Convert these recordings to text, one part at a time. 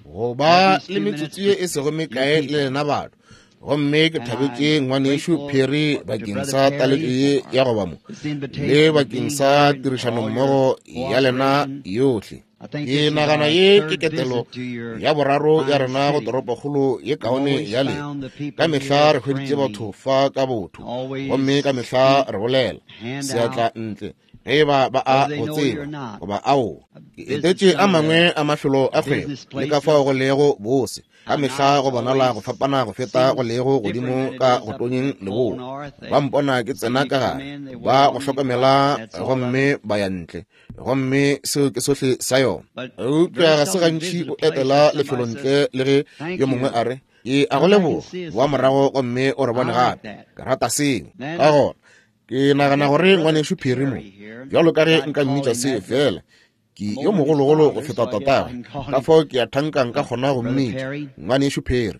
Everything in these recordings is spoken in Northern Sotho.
Go ba le metsotso ye e sego mekae le lena batho. Gomme ke thabetše ngwanešu Perry bakeng sa taletšo ye ya go ba mo, le bakeng sa tirišanommogo ya lena yohle. Ke nagana ye ke ketelo ya boraro ya rena go toropokgolo ye kaone ya lena. Ka mehla re hweditše batho fa ka botho, gomme ka mehla re bolela seatla ntle ge e ba ba a go tseba goba aowa. Ke etetše a mangwe a mafelo a kgwebo le ka fao go lego bose. Ka mehla go bonala go fapana go feta go lego godimo ka go tonyeng leboa. Ba mpona ke tsena ka gare, ba go hlokomela gomme ba ya ntle. Gomme seo ke sohle sa yona. Eupša ga se gantši o etela lefelo ntle le ge yo mongwe a re, Ke a go leboga, boa morago gomme o re bone gape. Ke rata seo. Ka gona, ke nagana gore ngwanešu Perry mo, bjalo ka ge nka mmitša seo feela, ke yo mogologolo go feta tatagwe, ka fao ke a thanka nka kgona go mmitša ngwanešu Perry.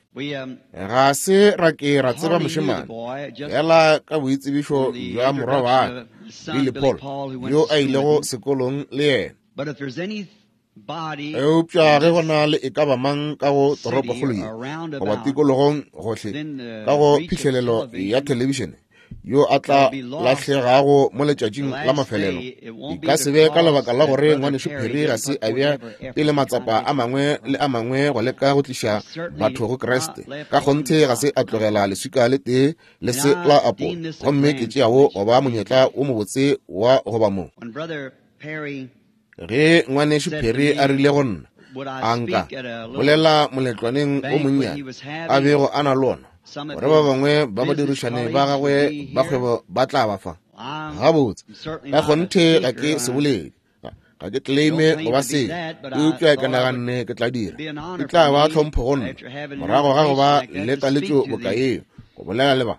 Ga se ra ke ra tseba mošemane, fela ka boitsebišo bja morwa wa ka, Billy Paul, yo a ilego sekolong le yena. Eupša ge go na le e ka ba mang ka go toropokgolo ye goba tikologong gohle ka go phihlelelo ya thelebišene yo a tla lahlegago mo letšatšing la mafelelo, e ka se be ka lebaka la gore ngwanešu Perry ga se a bea pele matsapa a mangwe le a mangwe go leka go tliša batho go Kriste. Ka kgonthe ga se a tlogela leswika le tee le se la apo, gomme ke tšeago go ba monyetla wo mobotse wa go ba mo. Ge ngwanešu Perry a rile go nna, a nka bolela moletlwaneng o monnyane a bego a na le ona, gore ba bangwe ba badirišane ba gagwe ba kgwebo ba tla ba fa. Gabotse, ka kgonthe ga ke se bolele, ga ke claime go ba seo, eupša ke naganne ke tla dira. E tla ba tlhompho go nna, morago ga go ba le taletšo boka yeo, go bolela le ba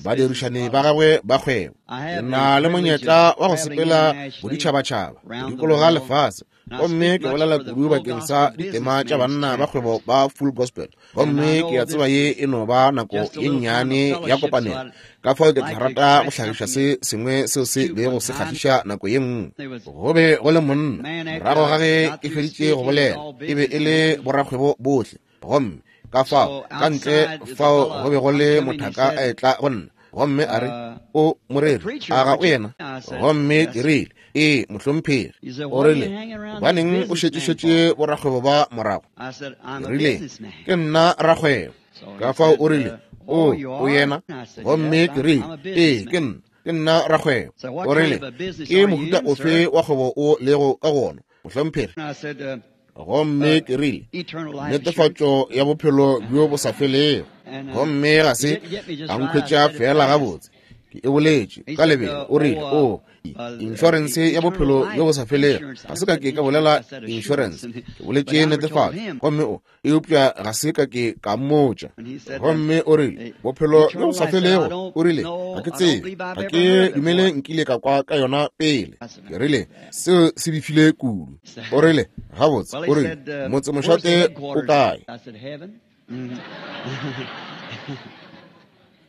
badirišani ba gagwe ba kgwebo. Ke na le monyetla wa go sepela boditšhabatšhaba, go dikologa lefase, gomme ke bolela kudu bakeng sa ditema tša banna ba kgwebo ba Full Gospel. Gomme ke a tseba ye e no ba nako ye nnyane ya kopanelo, ka fao ke tla rata go hlagiša se sengwe seo se bego se kgahliša nako ye nngwe. Go be go le monna, morago ga ge ke feditše go bolela, e be e le borakgwebo bohle. Gomme ka fao ka ntle fao go be go le mothaka a etla go nna, gomme a re, O moreri, a ga o yena? Gomme ke rile, Ee, mohlomphegi. O rile, Gobaneng o šetšešetše borakgwebo ba morago? Ke rile, Ke nna rakgwebo. Ka fao o rile, O, o yena? Gomme ke rile, Ee, ke nna. Ke nna rakgwebo. O rile, Ke mohuta ofe wa kgwebo o lego ka go ona, mohlomphegi? Gomme ke rile, Netefatšo ya bophelo bjo bo sa felego. Gomme ga se a nkhwetša feela gabotse. Ke e boletše ka lebelo. O rile, O, inšorense ya bophelo bjo bo sa felego. Ga se ka ke ka bolela inšorense, ke boletše netefatšo. Gomme o, eupša ga se ka ke ka mmotša. Gomme o rile, Bophelo bjo bo sa felego, o rile, ga ke tsebe, ga ke dumele nkile ka kwa ka yona pele. Ke rile, Seo se befile kudu. O rile, Gabotse, o rile, motsemošate o kae?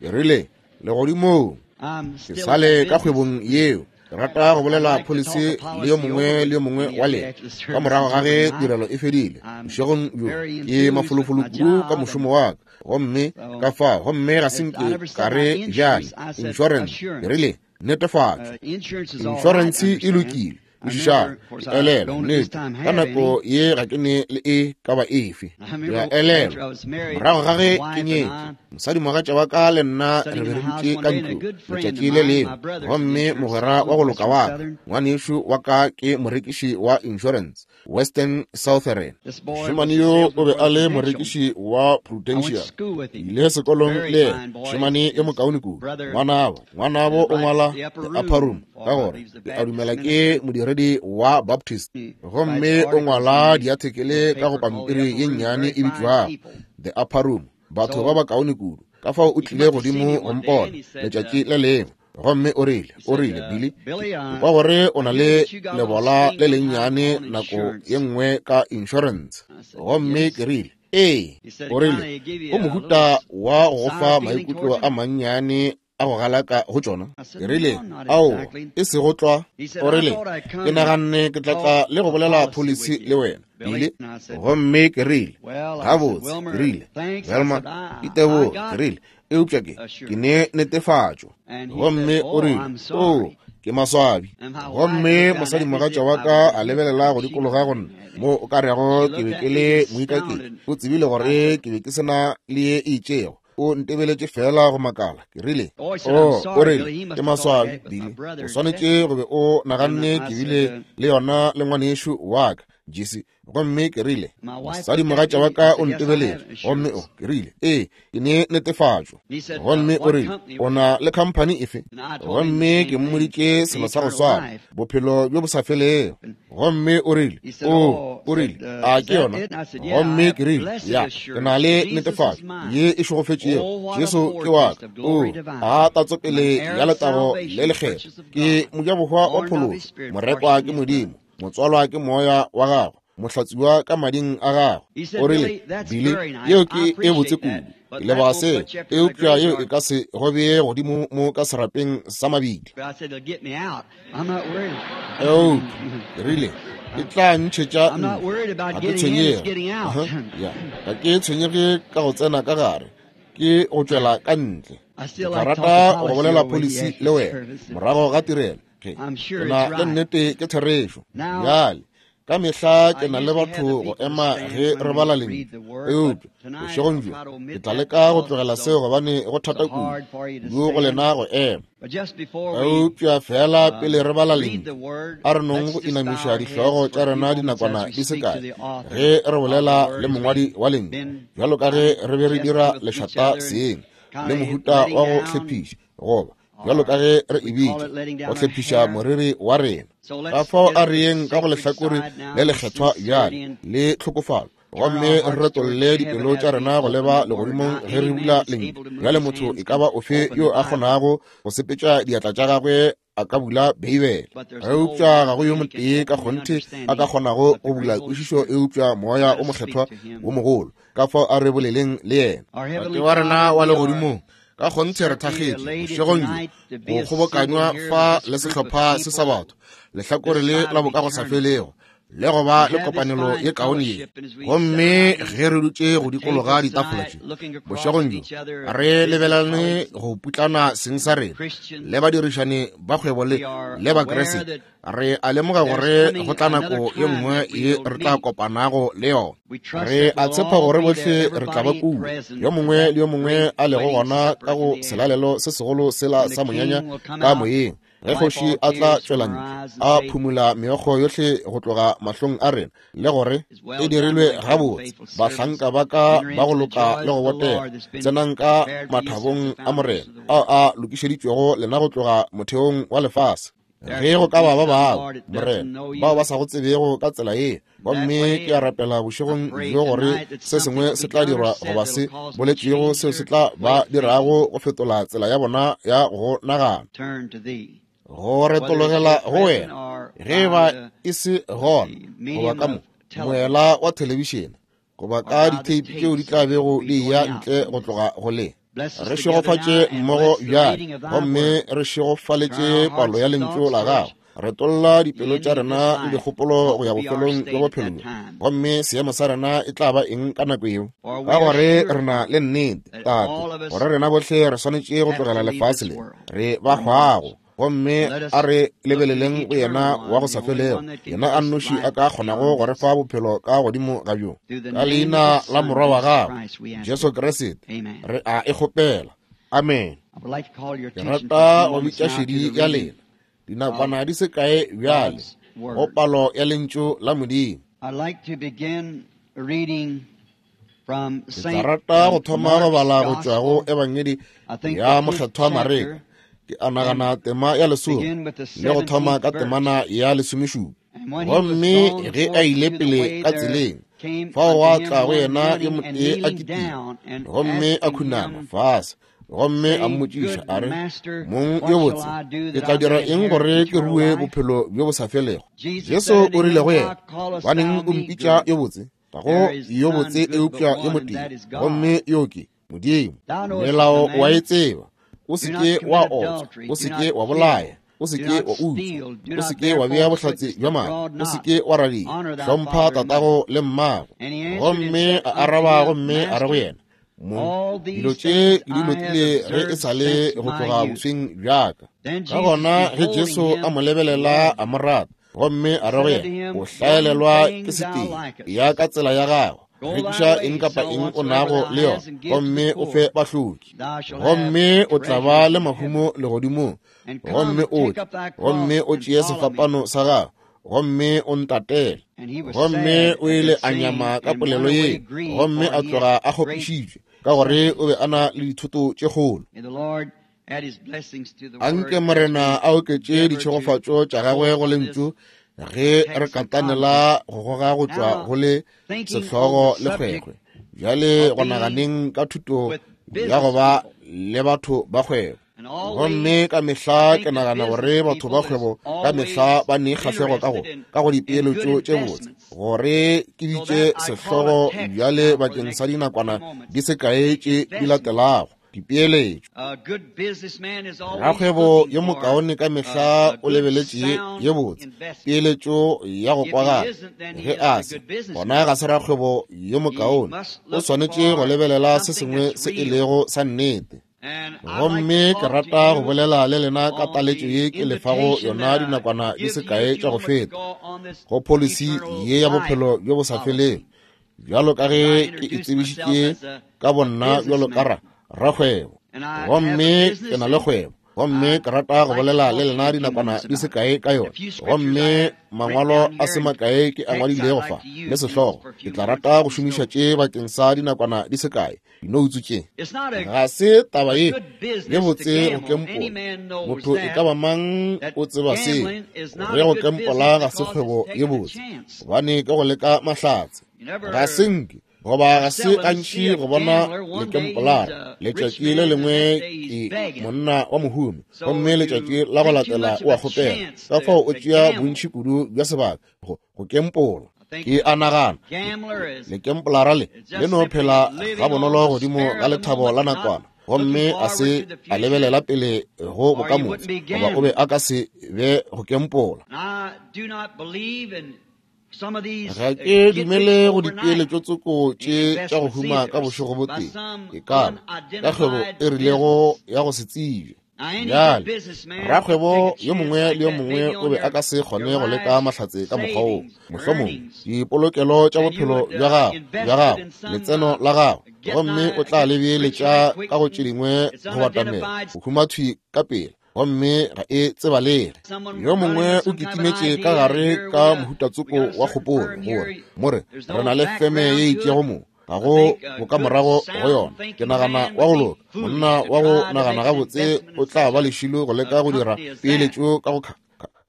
Ke rile, Legodimong. Ke sa le ka kgwebong yeo. Ke rata go bolela pholisi le yo mongwe le yo mongwe wa lena ka morago ga ge tirelo e fedile bošegong bjo. Ke mafolofolo kudu ka mošomo wa ka, gomme ka fao, gomme ga se nke ka re bjale insurance, ke rile netefatšo. Insurance e lokile. Kwešišang, ke elelwa, nnete, ka nako ye ga ke ne le e ka ba efe. Ke a elelwa, morago ga ge ke nyetše, mosadimogatša wa ka le nna re be re dutše ka ntlong letšatši le lengwe, gomme mogwera wa go loka wa ka, ngwanešu wa ka ke morekiši wa insurance, Western Southern. Mošemane yo o be a le morekiši wa Prudential. Ke ile sekolong le yena, mošemane yo mokaone kudu. Ngwanabo, ngwanabo o ngwala The Upper Room, ka gore ke a dumela ke modiredi wa Baptist. Gomme o ngwala diathekele ka go pampiri ye nnyane e bitšwago The Upper Room. Batho ba bakaone kudu. Ka fao o tlile godimo go mpona letšatši le lengwe. Gomme o rile, o rile, Billy, ke kwa gore o na le lebola le lennyane nako ye nngwe ka insurance. Gomme ke rile, Ee. O rile, O mohuta wa go go fa maikutlo a mannyane. a go galaka go tšona? Ke rile, Aowa, e sego tlwa. O rile, Ke naganne ke tla tla le go bolela pholisi le wena, Billy. Gomme ke rile, Gabotse, ke rile, Velma, iteboge, ke rile, eupša ke, ke ne netefatšo. Gomme o rile, Oo, ke maswabi. Gomme mosadimogatša wa ka a lebelela go dikologa go nna, mo o ka rego ke be ke le moikaketši. O tsebile gore ke be ke se na le ye e itšego. O ntebeletše feela go makala. Ke rile, Oh, o rile, ke maswabi, Billy. O swanetše go be o naganne ke bile le yona le ngwanešu wa ka, Jesse. Gomme ke rile, mosadimogatša wa ka o ntebeletše, gomme o, ke rile, ee, ke ne netefatšo. Gomme o rile, o na le khamphani efe? Gomme ke mmoditše selo sa go swana, bophelo bjo bo sa felego. Gomme o rile, o, o rile, a ke yona? Gomme ke rile, ya, ke na le netefatšo ye e šegofetšego, Jesu ke wa ka. O, a tatsopele ya letago le lekgethwa, ke mojabohwa wa phološo, morekwa ke Modimo, motswalwa ke moya wa gagwe, mohlatswiwa ka mading a gagwe. O rile, Billy, yeo ke e botse kudu, ke leboga seo, eupša yeo e ka se go bee godimo mo ka serapeng sa mabitla. Eupša ke rile, e tla ntšhetša ntle. Ga ke tshwenyege. Ya, ga ke tshwenyege ka go tsena ka gare, ke go tšwela ka ntle. Ke tla rata go bolela pholisi le wena morago ga tirelo. Ke na le nnete ke therešo. Bjale, ka mehla ke na le batho go ema ge re bala lentšu, eupša bošegong bjo ke tla leka go tlogela seo gobane go thata kudu go lena go ema. Eupša feela pele re bala lentšu, a re nong go inamiša dihlogo tša rena dinakwana di se kae ge re bolela le mongwadi wa lentšu, bjalo ka ge re be re dira lešata seng le mohuta wa go hlephiša, goba bjalo ka ge re e bitša, go hlephiša moriri wa rena. Ka fao a re yeng ka go lehlakore le lekgethwa bjale le tlhokofalo, gomme re retolle dipelo tša rena go leba legodimong ge re bula lentšu. Bjale motho e ka ba ofe yo a kgonago go sepetša diatla tša gagwe a ka bula Beibele, eupša ga go yo motee ka kgonthe a ka kgonago go bula kwešišo eupša Moya o Mokgethwa wo mogolo. Ka fao a re boleleng le yena. Tate wa rena wa legodimong, ka kgonthe re thakgetše bošegong bjo go kgobokanywa fa le sehlopha se sa batho, lehlakore le la bokagosafelego, le go ba le kopanelo ye kaone ye. Gomme ge re dutše go dikologa ditafola tše bošegong bjo, re lebelelane go putlana seng sa rena le badirišani ba kgwebo le le Bakriste, re a lemoga gore go tla nako ye nngwe ye re tla kopanago le yona. Re a tshepa gore bohle re tla ba kua, yo mongwe le yo mongwe a lego gona ka go selalelo se segolo sela sa monyanya ka moyeng, ge kgoši a tla tšwela ntle a phumula meokgo yohle go tloga mahlong a rena, le gore e dirilwe gabotse, bahlanka ba ka ba go loka le go botega, tsenang ka mathabong a Morena ao a lokišeditšwego lena go tloga motheong wa lefase. Ge go ka ba ba bangwe, Morena, bao ba sa go tsebego ka tsela ye, gomme ke a rapela bošegong bjo gore se sengwe se tla dirwa goba se boletšwego seo se tla ba dirago go fetola tsela ya bona ya go nagana, go retologela go wena, ge e ba e se gona, goba ka mo moela wa thelebišene, goba ka ditheipi tšeo di tla bego di eya ntle go tloga go le. Re šegofatše mmogo bjale, gomme re šegofaletše palo ya lentšu la gago. Retolla dipelo tša rena le dikgopolo go ya bofelong bja bophelo bjo, gomme seemo sa rena e tla ba eng ka nako yeo? Ka gore re na le nnete, Tate, gore rena bohle re swanetše go tlogela lefase le re ba hwago, gomme a re lebeleleng go yena wa go sa felego, yena a nnoši a ka kgonago go re fa bophelo ka godimo ga bjo. Ka leina la Morwa wa gagwe, Jesu Kriste, re a e kgopela. Amen. Ke rata go bitša šedi ya lena dinakwana di se kae bjale go palo ya lentšu la Modimo. Ke tla rata go thoma go bala go tšwa go Ebangedi ya Mokgethwa Mareka, ke a nagana tema ya lesome, le go thoma ka temana ya lesomešupa. Gomme ge a ile pele ka tseleng, fao gwa tla go yena yo motee a kitima, gomme a khunama fase, gomme a mmotšiša a re, Mong yo botse, ke tla dira eng gore ke rue bophelo bjo bo sa felego? Jesu o rile go yena, Gobaneng o mpitša yo botse? Ga go yo botse eupša yo motee, gomme yo ke Modimo. Melao wa e tseba. O se ke wa otswa, o se ke wa bolaya, o se ke wa utswa, o se ke wa bea bohlatse bja maaka, o se ke wa radia, hlompha tatago le mmago. Gomme a araba gomme a re go yena, Mong, dilo tše ke di lotile ge e sa le go tloga bosweng bja ka. Ka gona ge Jesu a mo lebelela a mo rata, gomme a re go yena, O hlaelelwa ke setee, ya ka tsela ya gago, rekiša eng kapa eng o nago le yona, gomme o fe bahloki, gomme o tla ba le mahumo legodimong, gomme o tle, gomme o tšee sefapano sa gago, gomme o ntatele. Gomme o ile a nyama ka polelo ye, gomme a tloga a kgopišitšwe, ka gore o be a na le dithoto tše kgolo. Anke Morena a oketše ditšhegofatšo tša gagwe go lentšu ge re katanela go goga go tšwa go le sehlogo le kgwekgwe. Bjale go naganeng ka thuto ya go ba le batho ba kgwebo. Gomme ka mehla ke nagana gore batho ba kgwebo ka mehla ba ne kgahlego ka go ka go dipeeletšo tše botse, gore ke bitše sehlogo bjale bakeng sa dinakwana di se kae tše di latelago, dipeeletšo. Rakgwebo yo mokaone ka mehla o lebeletše ye botse peeletšo ya go kwagala. Ge a se, gona ga se rakgwebo yo mokaone. O swanetše go lebelela se sengwe se e lego sa nnete. Gomme ke rata go bolela le lena ka taletšo ye ke le fago yona dinakwana di se kae tša go feta, go pholisi ye ya bophelo bjo bo sa felego, bjalo ka ge ke e tsebišitše ka bonna bjalo ka ra rakgwebo. Gomme ke na le kgwebo, gomme ke rata go bolela le lena dinakwana di se kae ka yona. Gomme mangwalo a se makae ke a ngwadilego fa le sehlogo, ke tla rata go šomiša tše bakeng sa dinakwana di se kae. Dinoutsu tše ga se taba ye ye botse go kempola. Motho e ka ba mang o tseba seo, gore go kempola ga se kgwebo ye botse, gobane ke go leka mahlatse. Ga se nke goba ga se gantši go bona lekempolara. Letšatši le lengwe ke monna wa mohumi, gomme letšatši la go latela o a kgopela. Ka fao o tšea bontši kudu bja sebaka go kempola. Ke a nagana lekempolara le le no phela gabonolo godimo ga lethabo la nakwana, gomme a se a lebelela pele go bokamoso, goba o be a ka se be go kempola. Ga ke dumele go dipeeletšo tsoko tše tša go huma ka bošego bo tee, e ka ba ka kgwebo e rilego ya go se tsebje. Bjale, rakgwebo yo mongwe le yo mongwe o be a ka se kgone go leka mahlatse ka mokgwa woo. Mohlomongwe dipolokelo tša bophelo bja gago, bja gago, letseno la gago, gomme o tla le beeletša ka go tše dingwe go batamela go huma thwi ka pela, gomme ga e tsebalege. Yo mongwe o kitimetše ka gare ka mohutatsoko wa kgopolo, gore more re na le feme ye itšego mo, ga go bokamorago go yona. Ke nagana wa go loka, monna wa go nagana gabotse o tla ba lešilo go leka go dira peeletšo ka go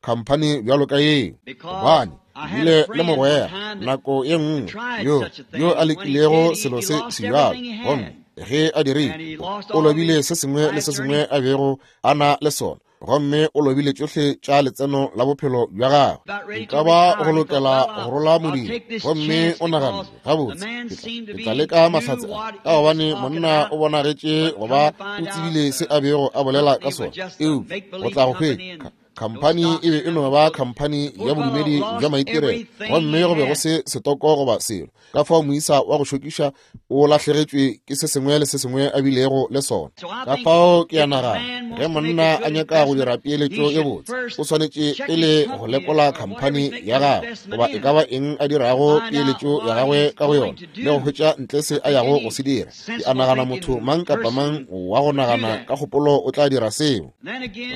khamphani bjalo ka yeo, gobane bile le mogwera nako ye nngwe yo yo a lekilego selo se sebjalo, gomme ge a dirile, o lobile se sengwe le se sengwe a bego a na le sona, gomme o lobile tšohle tša letseno la bophelo bja gagwe. E ka ba go lokela go rola modiro, gomme o naganne, gabotse, ke tla leka mahlatse a, ka gobane monna o bonagetše go ba o tsebile se a bego a bolela ka sona. Eupša go tla go hwetša khamphani e be e no ba khamphani ya bodumedi bja maitirelo, gomme go be go se setoko goba selo. Ka fao moisa wa go šokiša o lahlegetšwe ke se sengwe le se sengwe a bilego le sona. Ka fao ke a nagana ge monna a nyaka go dira peeletšo ye botse, o swanetše pele go lekola khamphani ya gagwe goba e ka ba eng a dirago peeletšo ya gagwe ka go yona, le go hwetša ntle se a yago go se dira. Ke a nagana motho mang kapa mang wa go nagana ka kgopolo o tla dira seo.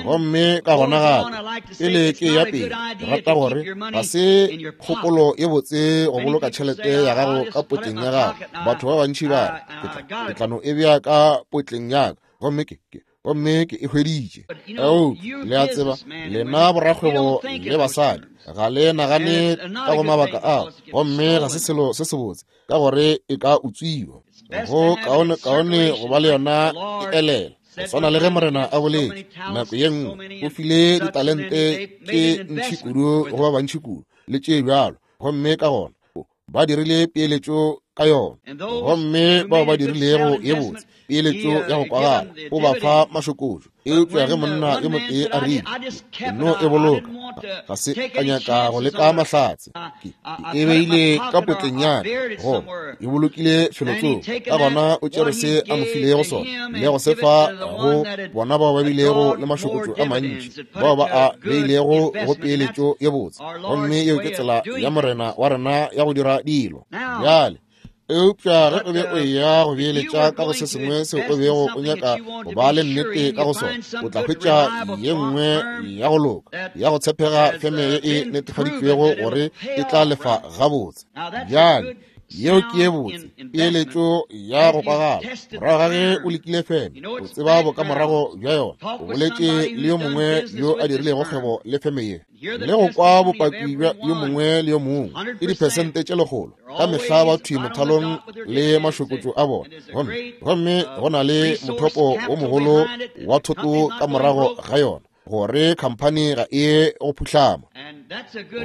Gomme ka gona gape, pele ke ya pele, ke rata gore ga se kgopolo ye botse go boloka tšhelete ya gago ka potleng ya gago. Batho ba bantši ba re, ke tla no e bea ka potleng ya ka, gomme ke gomme ke e hweditše. Eupša le a tseba, lena borakgwebo le basadi ga le nagane ka go mabaka ao, gomme ga se selo se sebotse, ka gore e ka utswiwa. Go kaone kaone go ba le yona e elela. Go swana le ge Morena a boletše nako ye nngwe, o file ditalente tše ntši kudu go ba bantši kudu le tše bjalo, gomme ka gona ba dirile peeletšo ka yona. Gomme bao ba dirilego ye botse peeletšo ya go kwagala, o ba fa mašokotšo. Eupša ge monna yo motee a rile, Ke no e boloka, ga se ka nyaka go leka mahlatse, ke e beile ka potleng ya ka, goba e bolokile felotsoko. Ka gona o tšere se a mo filego sona le go se fa go bona bao ba bilego le mašokotšo a mantši, bao ba a beilego go peeletšo ye botse. Gomme yeo ke tsela ya Morena wa rena ya go dira dilo. Bjale, eupša ge o be o eya go beeletša ka go se sengwe seo o bego o nyaka go ba le nnete ka go sona, o tla hwetša ye nngwe ya go loka, ya go tshepega feme ye e netefaditšwego gore e tla lefa gabotse. Bjale, yeo ke ye botse peeletšo ya go kwagala. Morago ga ge o lekile feme, o tseba bokamorago bja yona, o boletše le yo mongwe yo a dirilego kgwebo le feme ye, le go kwa bopaki bja yo mongwe le yo mongwe, ke diphesente tše lekgolo ka mehla ba thwi mothalong le mašokotšo a bona. Gomme, gomme go na le mothopo wo mogolo wa thoto ka morago ga yona, gore khamphani ga e ye go phuhlama.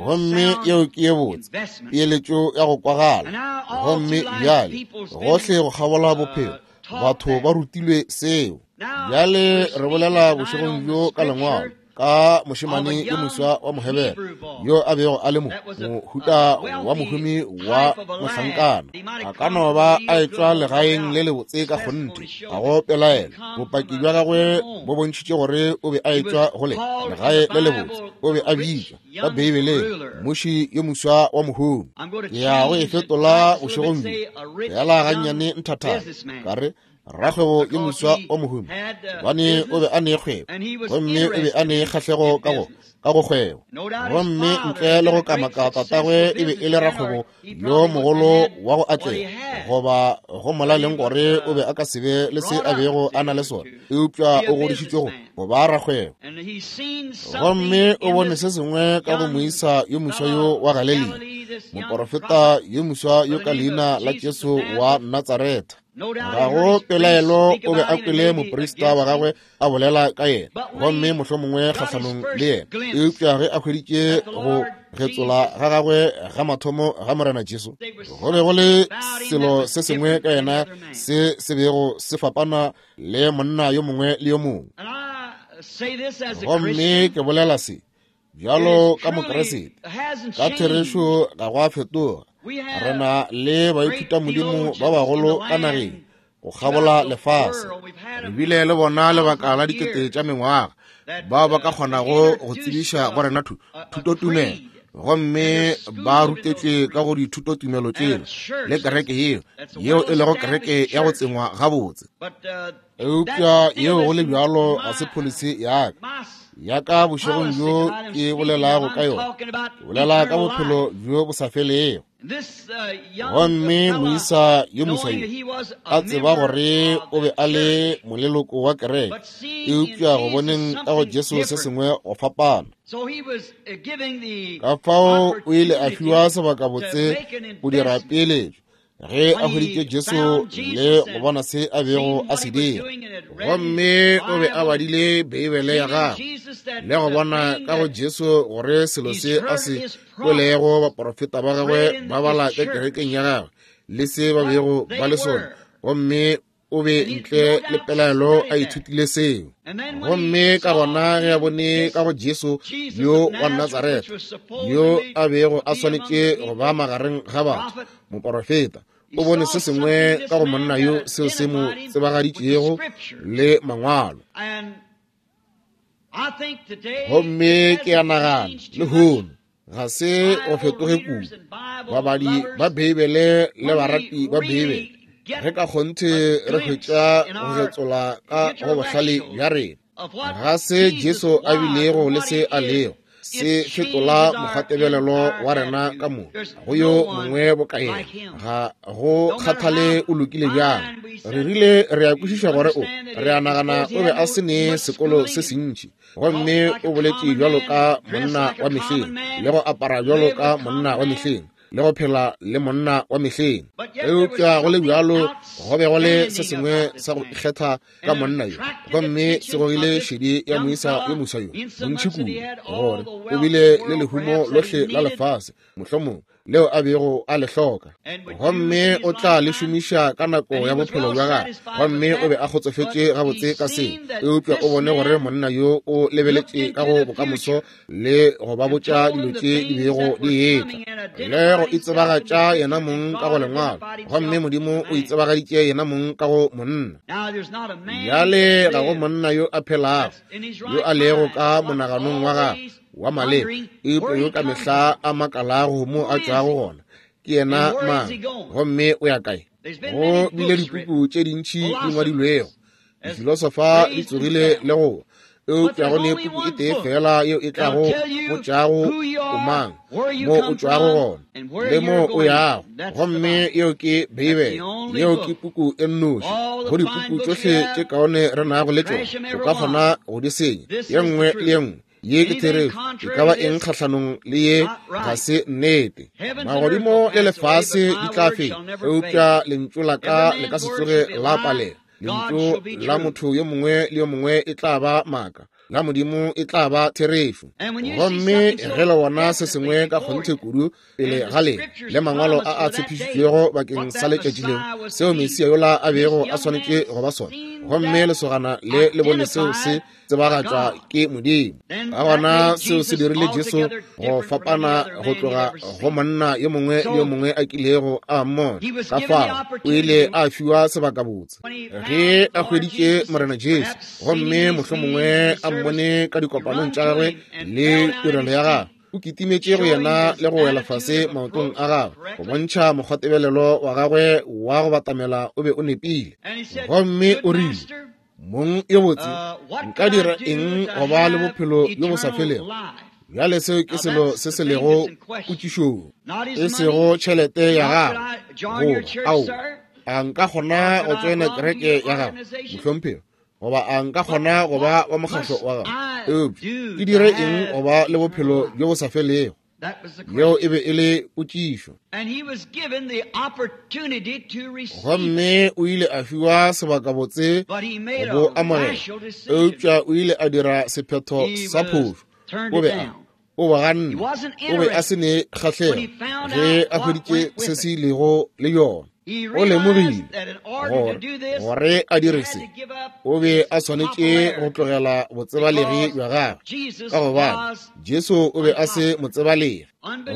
Gomme yeo ke ye botse peeletšo ya go kwagala. Gomme bjale gohle go kgabola bophelo batho ba rutilwe seo. Bjale re bolela bošegong bjo ka Lengwalo ka mošemane yo moswa wa Mohebere yo a bego a le mo mohuta wa mohumi wa mohlankana. A ka no ba a etšwa legaeng le lebotse ka kgonthe, ga go pelaelo. Bopaki bja gagwe bo bontšhitše gore o be a etšwa go le legae le lebotse. O be a bitšwa ka Beibeleng mmuši yo moswa wa mohumi. Ke ya go e fetola bošegong bjo fela gannyane nthathana, ka re rakgwebo yo moswa wa mohumi, gobane o be a ne kgwebo, gomme o be a ne kgahlego ka go ka go kgwebo. Gomme ntle le go kamaka tatagwe e be e le rakgwebo yo mogolo wa go atlega, goba go molaleng gore o be a ka se be le se a bego a na le sona, eupša o godišitšwe go go ba rakgwebo. Gomme o bone se sengwe ka go moisa yo moswa yo wa Galelia, moporofeta yo moswa yo ka leina la Jesu wa Natsaretha. Ga go pelaelo o be a kwele moprista wa gagwe a bolela ka yena, gomme mohlomongwe kgahlanong le yena. Eupša ge a hweditše go getsola ga gagwe ga mathomo ga Morena Jesu, go be go le selo se sengwe ka yena se se bego se fapana le monna yo mongwe le yo mongwe. Gomme ke bolela se bjalo ka Mokriste, ka therešo ga go a fetoga. Re na le baithutamodimo ba bagolo ka nageng go kgabola lefase. Re bile le bona lebaka la dikete tša mengwaga, bao ba ka kgonago go tsebiša go rena thutotumelo, gomme ba rutetšwe ka go dithutotumelo tšela le kereke yeo, yeo e lego kereke ya go tsengwa gabotse. Eupša yeo go le bjalo ga se pholisi ya ka, ya ka bošegong bjo ke bolelago ka yona. Ke bolela ka bophelo bjo bo sa felego. Gomme moisa yo moswa yo a tseba gore o be a le moleloko wa kereke, eupša go boneng ka go Jesu se sengwe go fapana. Ka fao o ile a fiwa sebakabotse go dira peeletšo ge a hweditše Jesu le go bona se a bego a se dira. Gomme o be a badile Beibele ya gagwe le go bona ka go Jesu gore selo se a se kwelego baporofeta ba gagwe ba bala ka kerekeng ya gagwe le se ba bego ba le sona, gomme o be ntle le pelaelo a ithutile seo. Gomme ka gona ge a bone ka go Jesu yo wa Natsaretha, yo a bego a swanetše go ba magareng ga batho, moporofeta, o bone se sengwe ka go monna yo seo se mo tsebagaditšego le Mangwalo. Gomme ke a nagana lehono ga se go fetoge kudu. Babadi ba Beibele le barati ba Beibele, re ka kgonthe re hwetša go getsola ka go bohlale bja rena ga se Jesu a bilego le se a lego, se fetola mokgwatebelelo wa rena ka moka go yo mongwe boka yena. Ga go kgathale o lokile bjang, re rile re a kwešiša gore o, re a nagana o be a se ne sekolo se sentši, gomme o boletše bjalo ka monna wa mehleng, le go apara bjalo ka monna wa mehleng, le go phela le monna wa mehleng. Eupša go le bjalo go be go le se sengwe sa go ikgetha ka monna yo, gomme se gogile šedi ya moisa yo moswa yo bontši kudu, gore o bile le lehumo lohle la lefase, mohlomongwe. leo a bego a le hloka, gomme o tla le šomiša ka nako ya bophelo bja gagwe. Gomme o be a kgotsofetše gabotse ka se, eupša o bone gore monna yo o lebeletše ka go bokamoso le go ba botša dilo tše di bego di etla, le go itsebagatša yena mong ka go lengwalo. Gomme Modimo o itsebagaditše yena mong ka go monna. Bjale ga go monna yo a phelago yo a lego ka monaganong wa gagwe wa maleba, eupša yo ka mehla a makalago mo a tšwago gona, ke yena mang gomme o ya kae. Go bile dipuku tše dintši di ngwadilwego, difilosofa di tsogile le go, eupša go ne puku e tee fela yeo e tlago botšago o mang, mo o tšwago gona le mo o yago, gomme yeo ke Beibele. Yeo ke puku e nnoši go dipuku tšohle tše kaone re nago le tšona. O ka kgona go di senya ye nngwe le ye nngwe. Ye ke therešo. E ka ba eng kgahlanong le ye ga se nnete. Magodimo le lefase di tla feta, eupša lentšu la ka le ka se tsoge la palela. Lentšu la motho yo mongwe le yo mongwe e tla ba maaka, la Modimo e tla ba therešo. Gomme ge le bona se sengwe ka kgonthe kudu pele ga lena, le mangwalo a a tshepišitšwego bakeng sa letšatši leo, seo Mesia yola a bego a swanetše go ba sona, gomme lesogana le le bone seo se tsebagatšwa ke Modimo, ka gona seo se dirile Jesu go fapana go tloga go monna yo mongwe le yo mongwe a kilego a mmona. Ka fao o ile a fiwa sebakabotse ge a hweditše Morena Jesu, gomme mohlomongwe a mmone ka dikopanong tša gagwe le tirelo ya gagwe. O kitimetše go yena le go wela fase maotong a gagwe go bontšha mokgwatebelelo wa gagwe wa go batamela o be o nepile. Gomme o rile, Mong yo botse, nka dira eng go ba le bophelo bjo bo sa felego? Bjale seo ke selo se se lego potšišong, e sego tšhelete ya gago. Goba, ao, a nka kgona go tsoena kereke ya gago, mohlomphegi? Goba a nka kgona go ba wa mokgahlo wa gago? Eupša ke dire eng go ba le bophelo bjo bo sa felego? Yeo e be e le potšišo. Gomme o ile a fiwa sebakabotse go bo amogela, eupša o ile a dira sephetho sa phošo. O be a o ba ganne, o be a se ne kgahlego ge a hweditše se se ilego le yona. O lemogile gore gore a dire se, o be a swanetše go tlogela botsebalegi bja gagwe, ka gobane Jesu o be a se motsebalegi.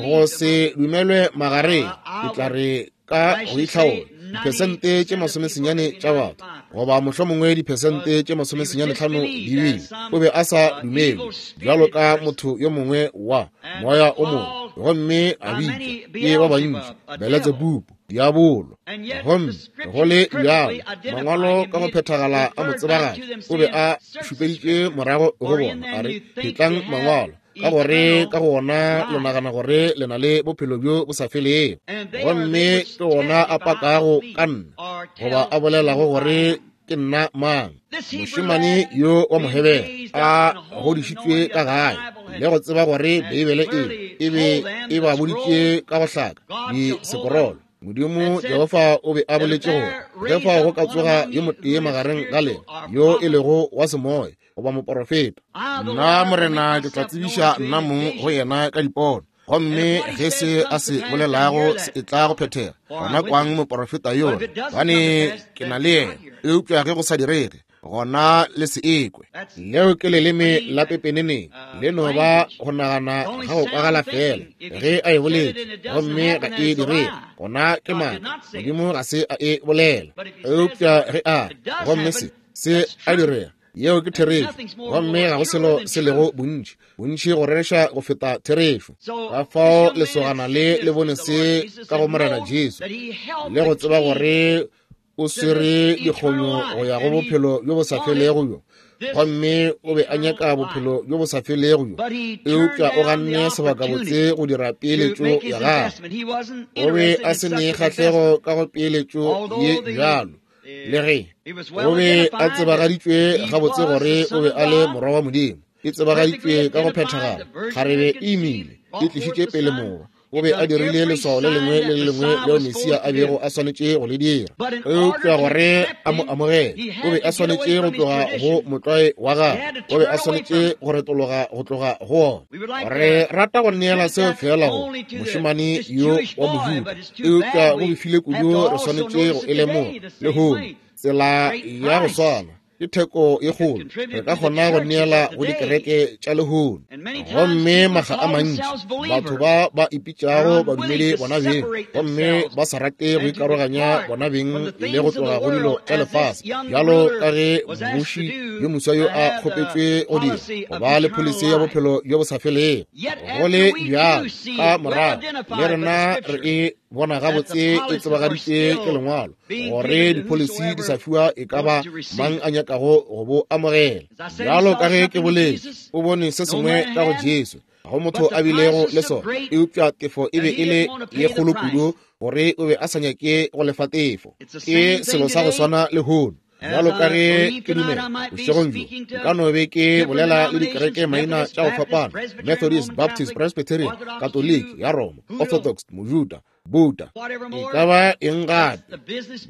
Go se dumelwe magareng, ke tla re ka go itlhaola, diphesente tše 90 tša batho, goba mohlomongwe diphesente tše 95 di bile, o be a sa dumelwe bjalo ka motho yo mongwe wa moya o mongwe, gomme a bitšwa ke ba bantši Beletsebubu, diabolo. Gomme go le bjalo, mangwalo ka go phethagala a mo tsebagatša. O be a šupeditše morago go bona, a re, Phetlang mangwalo, ka gore ka go ona le nagana gore le na le bophelo bjo bo sa felego, gomme ke ona a pakago ka nna, goba a bolelago gore ke nna mang. Mošemane yo wa Mohebere a godišitšwe ka gae le go tseba gore Beibele e be e ba boditše ka go hlaka disekorolo. Modimo Jehofa o be a boletše gore ge fao go ka tsoga yo motee magareng ga lena yo e lego wa semoya goba moporofeta, nna Morena ke tla tsebiša nna mong go yena ka dipono, gomme ge se a se bolelago se e tla go phethega, gona kwang moporofeta yola, gobane ke na le yena. Eupša ge go sa direge, gona le se ekwe. Leo ke leleme la pepeneneng, le no ba go nagana ga go kwagala fela. Ge a e boletše gomme ga e direge, gona ke maaka, Modimo ga se a e bolela. Eupša ge a re, gomme se a direga, yeo ke therešo, gomme ga go selo se lego bontši bontši go rereša go feta therešo. Ka fao lesogana le le bone se ka go Morena Jesu, le go tseba gore o swere dikgonyo go ya go bophelo bjo bo sa felego bjo, gomme o be a nyaka bophelo bjo bo sa felego bjo, eupša o ganne sebakabotse go dira peeletšo ya gagwe. O be a se ne kgahlego ka go peeletšo ye bjalo, le ge o be a tsebagaditšwe gabotse gore o be a le morwa wa Modimo. E tsebagaditšwe ka go phethagala. Kgarebe e imile, e tlišitše pele morwa. O be a dirile leswao le lengwe le le lengwe leo Mesia a bego a swanetše go le dira. Eupša gore a mo amogele, o be a swanetše go tloga go motlwae wa gagwe. O be a swanetše go retologa go tloga go wona. Re rata go neela seo feela go mošemane yo wa Mojuda, eupša go befile kudu re swanetše go e lemoga lehono, tsela ya go swana. Ke theko ye kgolo re ka kgona go neela go dikereke tša lehono. Gomme makga a mantši batho ba ba ipitšago badumedi bona beng, gomme ba sa rate go ikaroganya bona beng le go tloga go dilo tša lefase, bjalo ka ge mmuši yo moswa yo a kgopetšwe go dira, go ba le pholisi ya bophelo bjo bo sa felego. Go le bjalo, ka morago le rena re e bona gabotse e tsebagaditše ke lengwalo gore dipholisi di sa fiwa e ka ba mang a nyakago go bo amogela. Bjalo ka ge ke boletše, o bone se sengwe ka go Jesu, ga go motho a bilego le sona, eupša tefo e be e le ye kgolo kudu gore o be a sa nyake go lefa tefo. Ke selo sa go swana lehono. Bjalo ka ge ke dumela bošegong bjo nka no be ke bolela le dikereke maina tša go fapana, Methodist, Baptist, Presbyterian, Katoliki ya Roma, Orthodox, Mojuda, Buddha, e ka ba eng gape.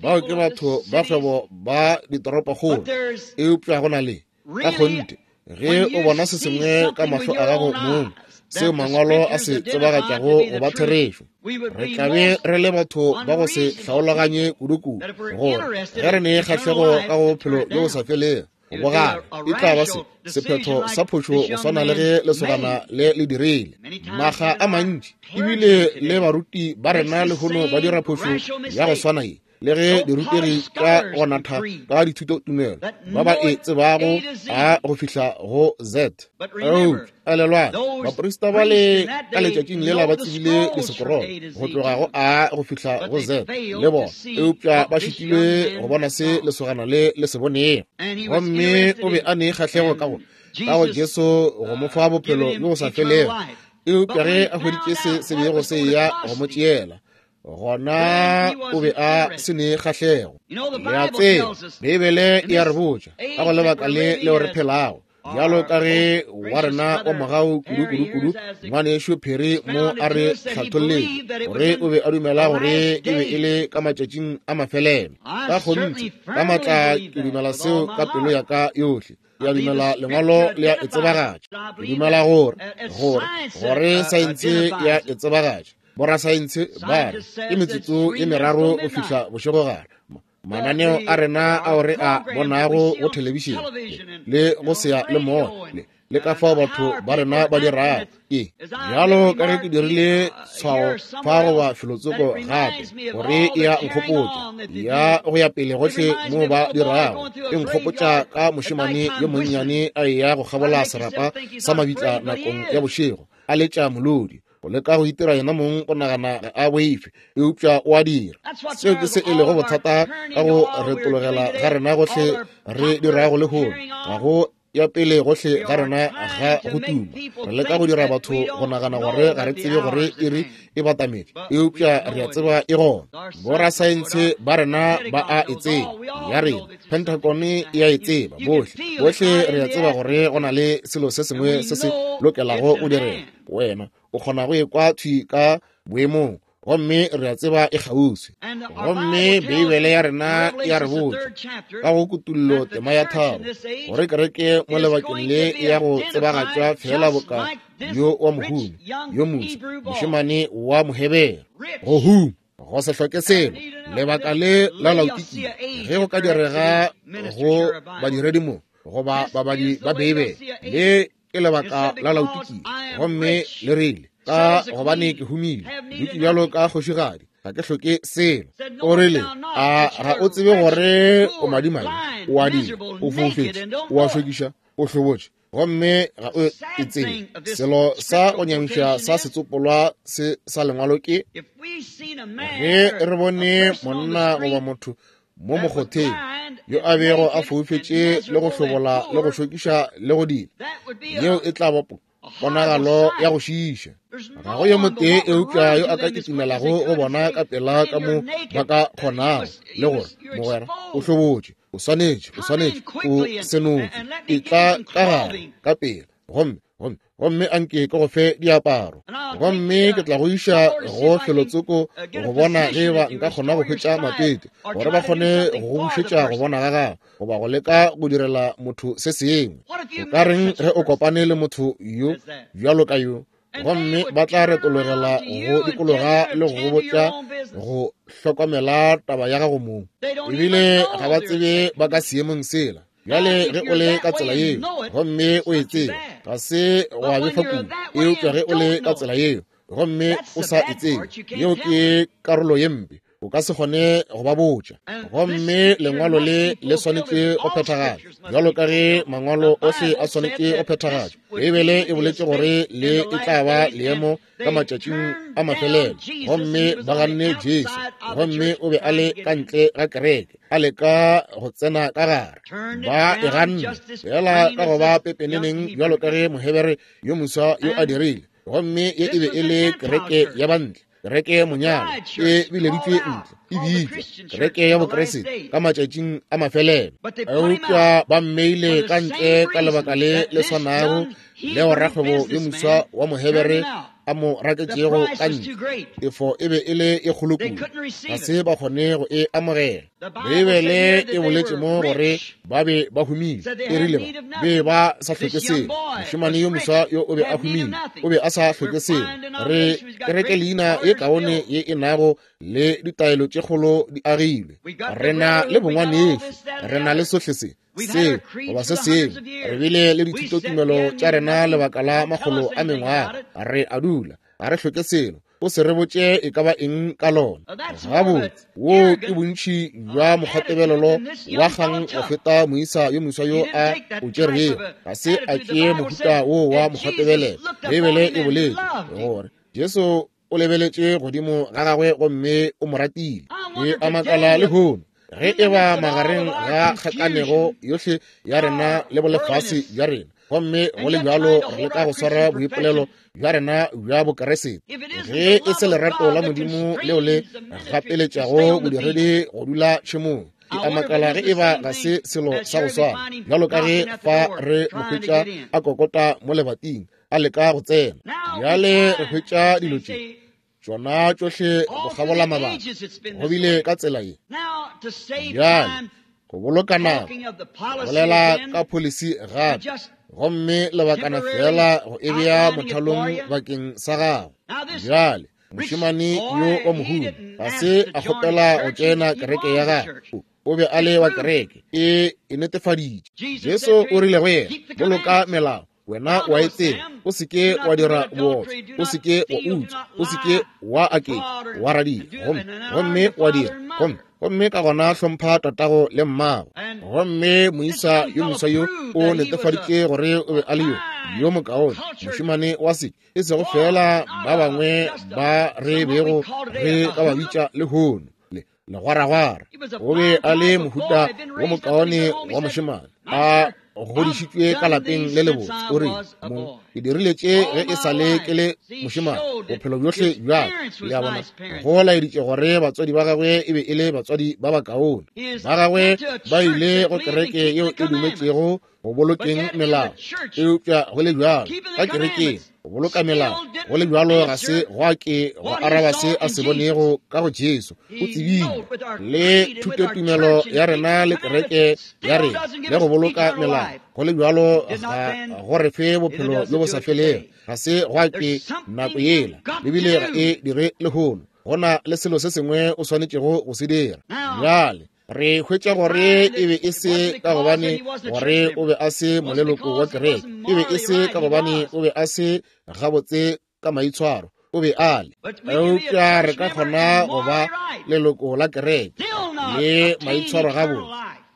Bao ke batho ba kgwebo ba ditoropokgolo. Eupša go na le, ka kgonthe, ge o bona se sengwe ka mahlo a gago mong, seo mangwalo a se tsebagatšago go ba therešo, re tla be re le batho ba go se hlaologanye kudu-kudu gore ge re ne kgahlego ka go bophelo bjo bo sa felego, go gana e tla ba se sephetho sa phošo go swana le ge lesogana le le dirile. Makga a mantši ebile le baruti ba rena lehono ba dira phošo ya go swana ye, le ge dirutegi tša go natha ka dithutotumelo ba ba e tsebago a go fihla go Z. Eupša elelwang, baprista ba le ka letšatšing lela ba tsebile disekorolo go tloga go A go fihla go Z le bona, eupša ba šitilwe go bona se lesogana le le se bonego. Gomme o be a ne kgahlego ka go ka go Jesu go mo fa bophelo bjo bo sa felego, eupša ge a hweditše se se bego se eya go mo tšeela, gona o be a se ne kgahlego. Le a tseba, Beibele e a re botša ka go lebaka le leo re phelago, bjalo ka ge wa rena wa mogau kudu-kudu-kudu ngwanešu Perry mo a re hlatholletše gore o be a dumela gore e be e le ka matšatšing a mafelelo. Ka kgonthe, ka maatla ke dumela seo ka pelo ya ka yohle. Ke a dumela lengwalo le a e tsebagatša. Ke dumela gore, gore, gore saense ya e tsebagatša. Borasaense ba re ke metsotso e meraro go fihla bošegogare. Mananeo a rena ao re a bonago go thelebišene le go seya le moya le, le ka fao batho ba rena ba dirago ke bjalo ka ge ke dirile tshwao fa goba felotsoko gape gore e ya nkgopotša ya go ya pele gohle mo ba dirago, e nkgopotša ka mošemane yo monnyane a eya go kgabola serapa sa mabitla nakong ya bošego a letša molodi, go leka go itira yena mong go nagana ga a boife, eupša o a dira. Seo ke se e lego bothata ka go retologela ga rena gohle re dirago lehono. Ga go ya pele gohle ga rena ga go tuma. Re leka go dira batho go nagana gore ga re tsebe gore iri e batametše, eupša re a tseba e gona. Borasaense ba rena ba a e tseba, ya rena Pentagon e a e tseba, bohle bohle re a tseba gore go na le selo se sengwe se se lokelago go direga. Wena o kgona go ekwa thwi ka boemong, gomme re a tseba e kgauswi. Gomme Beibele ya rena ya re botša ka go Kutullo tema ya 3 gore kereke mo lebakeng le ya go tsebagatšwa feela boka yo wa mohumi yo moswa, mošemane wa Mohebere, go huma, go se hloke selo. Lebaka le la Laodikia, ge go ka direga go badiredi mo goba babadi ba Beibele, le ke lebaka la Laodikia. Gomme le rile, ka gobane ke humile, dutše bjalo ka kgošigadi, ga ke hloke selo. O rile, a ga o tsebe gore o madimabe, o a dira, o foufetše, o a šokiša, o hlobotše, gomme ga o e tsebe. Selo sa go nyamiša sa setsopolwa se sa lengwalo ke, ge re bone monna goba motho mo mokgotheng yo a bego a foufetše le go hlobola le go šokiša le go dira, yeo e tla ba ponagalo ya go šiiša. Ga go yo motee eupša yo a ka kitimelago go bona ka pela ka mo ba ka kgonago, le gore mogwera o hlobotše, o swanetše, o swanetše, o senotšwe, etla ka gare ka pela. Gomme Gomme, gomme anke ke go fe diaparo. Gomme ke tla go iša go felotsoko go bona ge eba nka kgona go hwetša matete, gore ba kgone go go bušetša go bona ga gago, goba go leka go direla motho se sengwe. O ka reng ge o kopane le motho yo bjalo ka yo, gomme ba tla retologela go dikologa le go botša go hlokomela taba ya gago mong, ebile ga ba tsebe ba ka seemong sela. Bjale ge o le ka tsela yeo gomme o e tseba, ga se gwa befa kudu, eupša ge o le ka tsela yeo gomme o sa e tsebe, yeo ke karolo ye mpe, o ka se kgone go ba botša. Gomme lengwalo le le swanetše go phethagatšwa, bjalo ka ge mangwalo ohle a swanetše go phethagatšwa. Beibele e boletše gore le e tla ba leemo ka matšatšing a mafelelo, gomme ba ganne Jesu, gomme o be a le ka ntle ga kereke, a leka go tsena ka gare. Ba e ganne fela ka go ba pepeneneng bjalo ka ge Mohebere yo moswa yo a dirile. Gomme ye e be e le kereke ya bantle, kereke monyalo e bileditšwe ntle, e bitšwa kereke ya Bokriste ka matšatšing a mafelelo. Eupša ba mmeile ka ntle ka lebaka le le swanago leo rakgwebo yo moswa wa Mohebere a mo raketšego ka ntle. Tefo e be e le e kgolo kudu, ga se ba kgone go e amogela. Beibele e boletše mo gore ba be ba humile, e rile ba be ba sa hloke selo. Mošemane yo moswa yo o be a humile, o be a sa hloke selo. Re kereke leina ye kaone ye e nago le ditaelo tše kgolo di agilwe. Re na le bongwanešu, re na le sohle se, se goba se sengwe. Re bile le dithutotumelo tša rena lebaka la makgolo a mengwaga. Re a dula, ga re hloke selo. O se re botše e ka ba eng ka lona. Gabotse, wo ke bontši bja mokgwatebelelo wa kgang go feta moisa yo moswa yo a o tšerego. Ga se a tšee mohuta wo wa mokgwatebelelo. Beibele e boletše gore Jesu o lebeletše godimo ga gagwe gomme o mo ratile. Ke a makala lehono ge e ba magareng ga kgakanego yohle ya rena le bolefase bja rena, gomme go le bjalo re leka go swara boipolelo bja rena bja Bokeresete, ge e se lerato la Modimo leo le gapeletšago bodiredi go dula tšhemong. Ke a makala ge e ba ga se selo sa go swana bjalo ka ge fa re mo hwetša a kokota mo lebating a leka go tsena. Bjale re hwetša dilo tše tšona tšohle go kgabola mabaka, go bile ka tsela ye. Bjale go boloka nako, bolela ka policy gape, gomme lebakana fela go e bea mothalong bakeng sa gago. Bjale mošemane yo wa mohumi ga se a kgopela go tšena kereke ya gagwe, o be a le wa kereke e e netefaditše. Jesu o rile go yena, boloka melao, wena wa e tseba, o se ke wa dira bootswa, o se ke wa utswa, o se ke wa aketša, wa radia, gomme gomme wa dira, gomme gomme ka gona hlompha tatago le mmago. Gomme moisa yo moswa yo o netefaditše gore o be a le yo yo mokaone mošemane wa se, e sego fela ba bangwe ba re bego re ka ba bitša lehono le legwaragwara. O be a le mohuta wo mokaone wa mošemane, a godišitšwe ka lapeng le lebotse. O re, mo ke dirile tše ge e sa le ke le mošemane bophelo bjohle bja ka. Le a bona, go laeditše gore batswadi ba gagwe e be e le batswadi ba bakaone. Ba gagwe ba ile go kereke yeo e dumetšego go bolokeng melao, eupša go le bjalo ka kerekeng go boloka melao, go le bjalo ga se gwa ke go araba se a se bonego ka go Jesu. O tsebile le thutotumelo ya rena le kereke ya rena le go boloka melao, go le bjalo ga go re fe bophelo bjo bo sa felego. Ga se gwa ke nako yela, ebile ga e dire lehono. Go na le selo se sengwe o swanetšego go se dira. Bjale re hwetša gore e be e se ka gobane gore o be a se moleloko wa kereke, e be e se ka gobane o be a se gabotse ka maitshwaro, o be a le. Eupša re ka kgona go ba leloko la kereke le maitshwaro gabotse,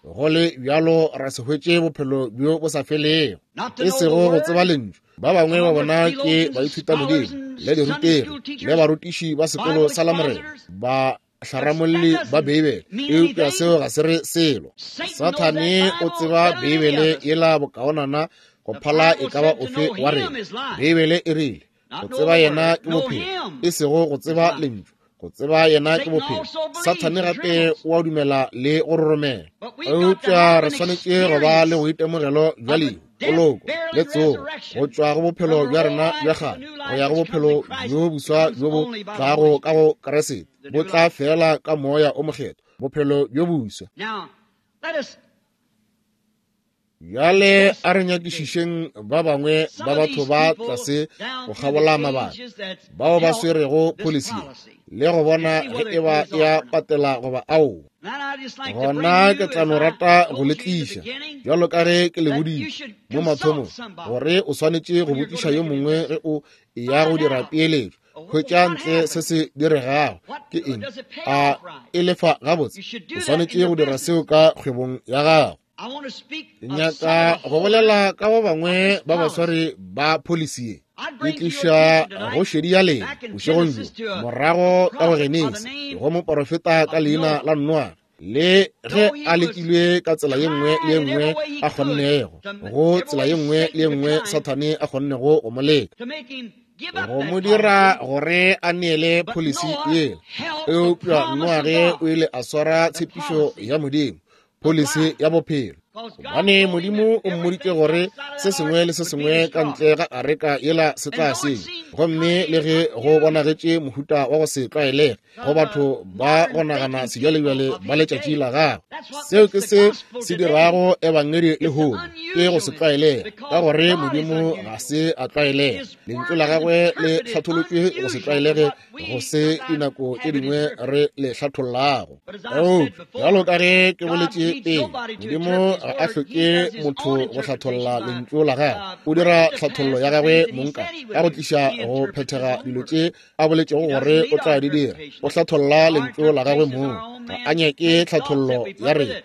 go le bjalo ra se hwetše bophelo bjo bo sa felego, e sego go tseba lentšu. Ba bangwe ba bona ke baithutamodimo le dirutegi le barutiši ba sekolo sa Lamorena, ba hlaramolli ba Beibele, eupša seo ga se re selo. Sathane o tseba Beibele yela bokaonana go phala e ka ba ofe wa rena. Beibele e rile, go tseba yena ke bophelo, e sego go tseba lentšu. Go tseba yena ke bophelo. Sathane gape o a dumela le go roromela, eupša re swanetše go ba le boitemogelo bja lehu. poloko le tsogo, go tšwa go bophelo bja rena bja kgale go ya go bophelo bjo boswa bjo bo tlago ka go Kriste, bo tla fela ka Moya o Mokgethwa, bophelo bjo boswa. Bjale a re nyakišišeng ba bangwe ba batho ba tlase go kgabola mabaka bao ba swerego policy le go bona ge e ba ya patela goba aowa. Gona ke tla no rata go le tliša, bjalo ka ge ke le boditše mo mathomong, gore o swanetše go botšiša yo mongwe ge o eya go dira peeletšo. Hwetša ntle se se diregago ke eng, a e lefa gabotse. O swanetše go dira seo ka kgwebong ya gago. Ke nyaka go bolela ka ba bangwe ba baswari ba policy ye. Ke tliša go šedi ya lena bošegong bjo, morago ka go Genesi, go moporofeta ka leina la Noa, le ge a lekilwe ka tsela ye nngwe le ye nngwe a kgonnego, go tsela ye nngwe le ye nngwe Sathane a kgonnego go mo leka, go mo dira gore a neele policy yela. Eupša Noage o ile a swara tshepišo ya Modimo, policy ya bophelo, gobane Modimo o mmoditše gore se sengwe le se sengwe ka ntle ga areka yela se tla senya. Gomme le ge go bonagetše mohuta wa go se tlwaelege go batho ba go nagana sebjalebjale ba letšatši la gagwe, seo ke se se dirago ebangedi lehono, ke go se tlwaelege, ka gore Modimo ga se a tlwaelega. Lentšu la gagwe le hlatholotšwe go se tlwaelege go se dinako tše dingwe re le hlathollago. Eupša bjalo ka ge ke boletše pele, Modimo ga a hloke motho go hlatholla lentšu la gagwe. O dira tlhathollo ya gagwe mong ka go tliša go phethega dilo tše a boletšego gore o tla di dira. O hlatholla lentšu la gagwe mong, ga a nyake tlhathollo ya rena.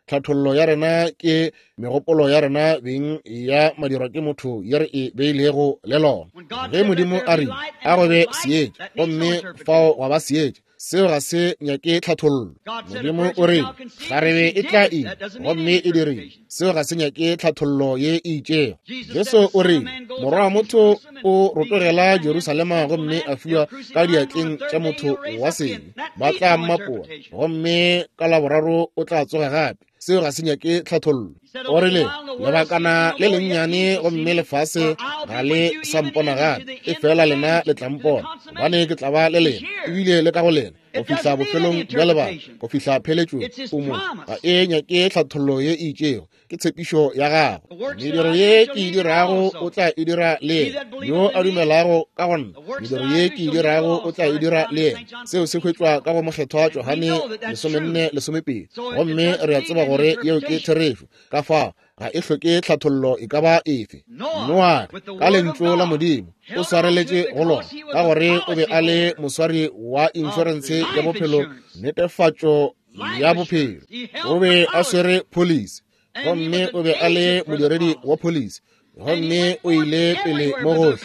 Tlhathollo ya rena ke megopolo ya rena beng ya madirwa ke motho ye re e beilego le lona. Ge Modimo a re a go be seetša, gomme fao gwa ba seetša, seo ga se nyake tlhathollo. Modimo o re kgarebe e tla ima, gomme e dirile, seo ga se nyake tlhathollo ye e itšego. Jesu o re Morwa wa motho o rotogela Jerusalema gomme a fiwa ka diatleng tša motho wa sebe, ba tla mmapola, gomme ka laboraro o tla tsoga gape. Seo ga se nyake tlhathollo. O rile lebakana le lennyane gomme lefase ga le sa mpona gape, e fela lena le tla mpona, gobane ke tla ba le lena ebile le ka go lena go fihla bofelong bja lebaka, go fihla pheletšong. O mo ga e nyake tlhathollo ye e itšego, ke tshepišo ya gago. Mediro ye ke e dirago o tla e dira le yena, yo a dumelago ka go nna, mediro ye ke e dirago o tla e dira le yena. Seo se hwetšwa ka go Mokgethwa Johane 14:12, gomme re a tseba gore yeo ke therešo. Ka fao ga e hloke tlhathollo e ka ba efe. Noage ka lentšu la Modimo o swareletše go lona, ka gore o be a le moswari wa inšorense ya bophelo, netefatšo ya bophelo. O be a swere policy, gomme o be a le modiredi wa policy, gomme o ile pele mo gohle.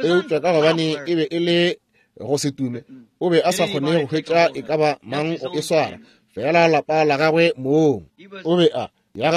Eupša ka gobane e be e le go se tume, o be a sa kgone go hwetša e ka ba mang go e swara, fela lapa la gagwe mong. O be a ya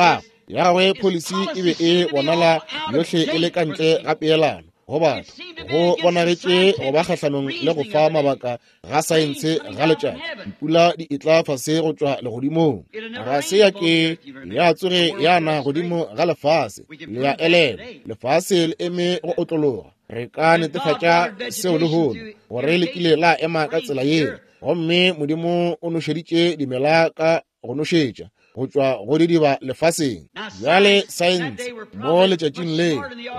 gagwe policy e be e bonala yohle e le ka ntle ga peelano go batho, go bonagetše go ba kgahlanong le go fa mabaka ga saense ga letšatši. Dipula di etla fase go tšwa legodimong, ga se ya ke ya tsoge ya na godimo ga lefase. Le ya elelwa, lefase le eme go otlologa. Re ka netefatša seo lehono, gore le kile la ema ka tsela yeo, gomme Modimo o nošeditše dimela ka go nošetša go tšwa go didiba lefaseng. Bjale saense mo letšatšing le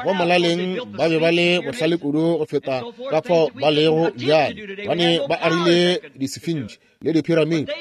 go molaleng ba be ba le bohlale kudu go feta ka fao ba lego bjale, bane ba agile disefintši le diphiramiti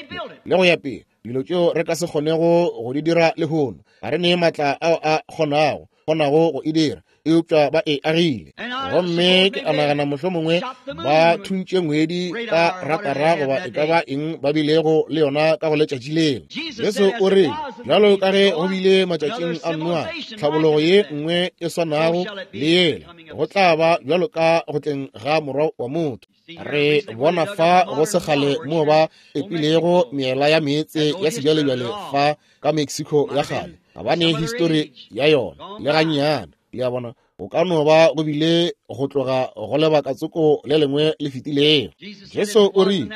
le go ya pele, dilo tšeo re ka se kgonego go di dira lehono. Ga re ne maatla ao a kgonago go e dira, eupša ba e agile. Gomme ke a nagana mohlomongwe ba thuntše ngwedi ka ratara goba e ka ba eng ba bilego le yona ka go letšatši lela. Jesu o re, bjalo ka ge go bile matšatšing a Noa, tlhabologo ye nngwe e swanago le yela, go tla ba bjalo ka go tleng ga Morwa wa motho. Re bona fa go segale moo ba epilego meela ya meetse ya sebjalebjale fa ka Mexico ya kgale, ga ba ne histori ya yona le gannyane. Le a bona, go ka no ba go bile go tloga go lebaka tsoko le lengwe le fetilego. Jesu o rile,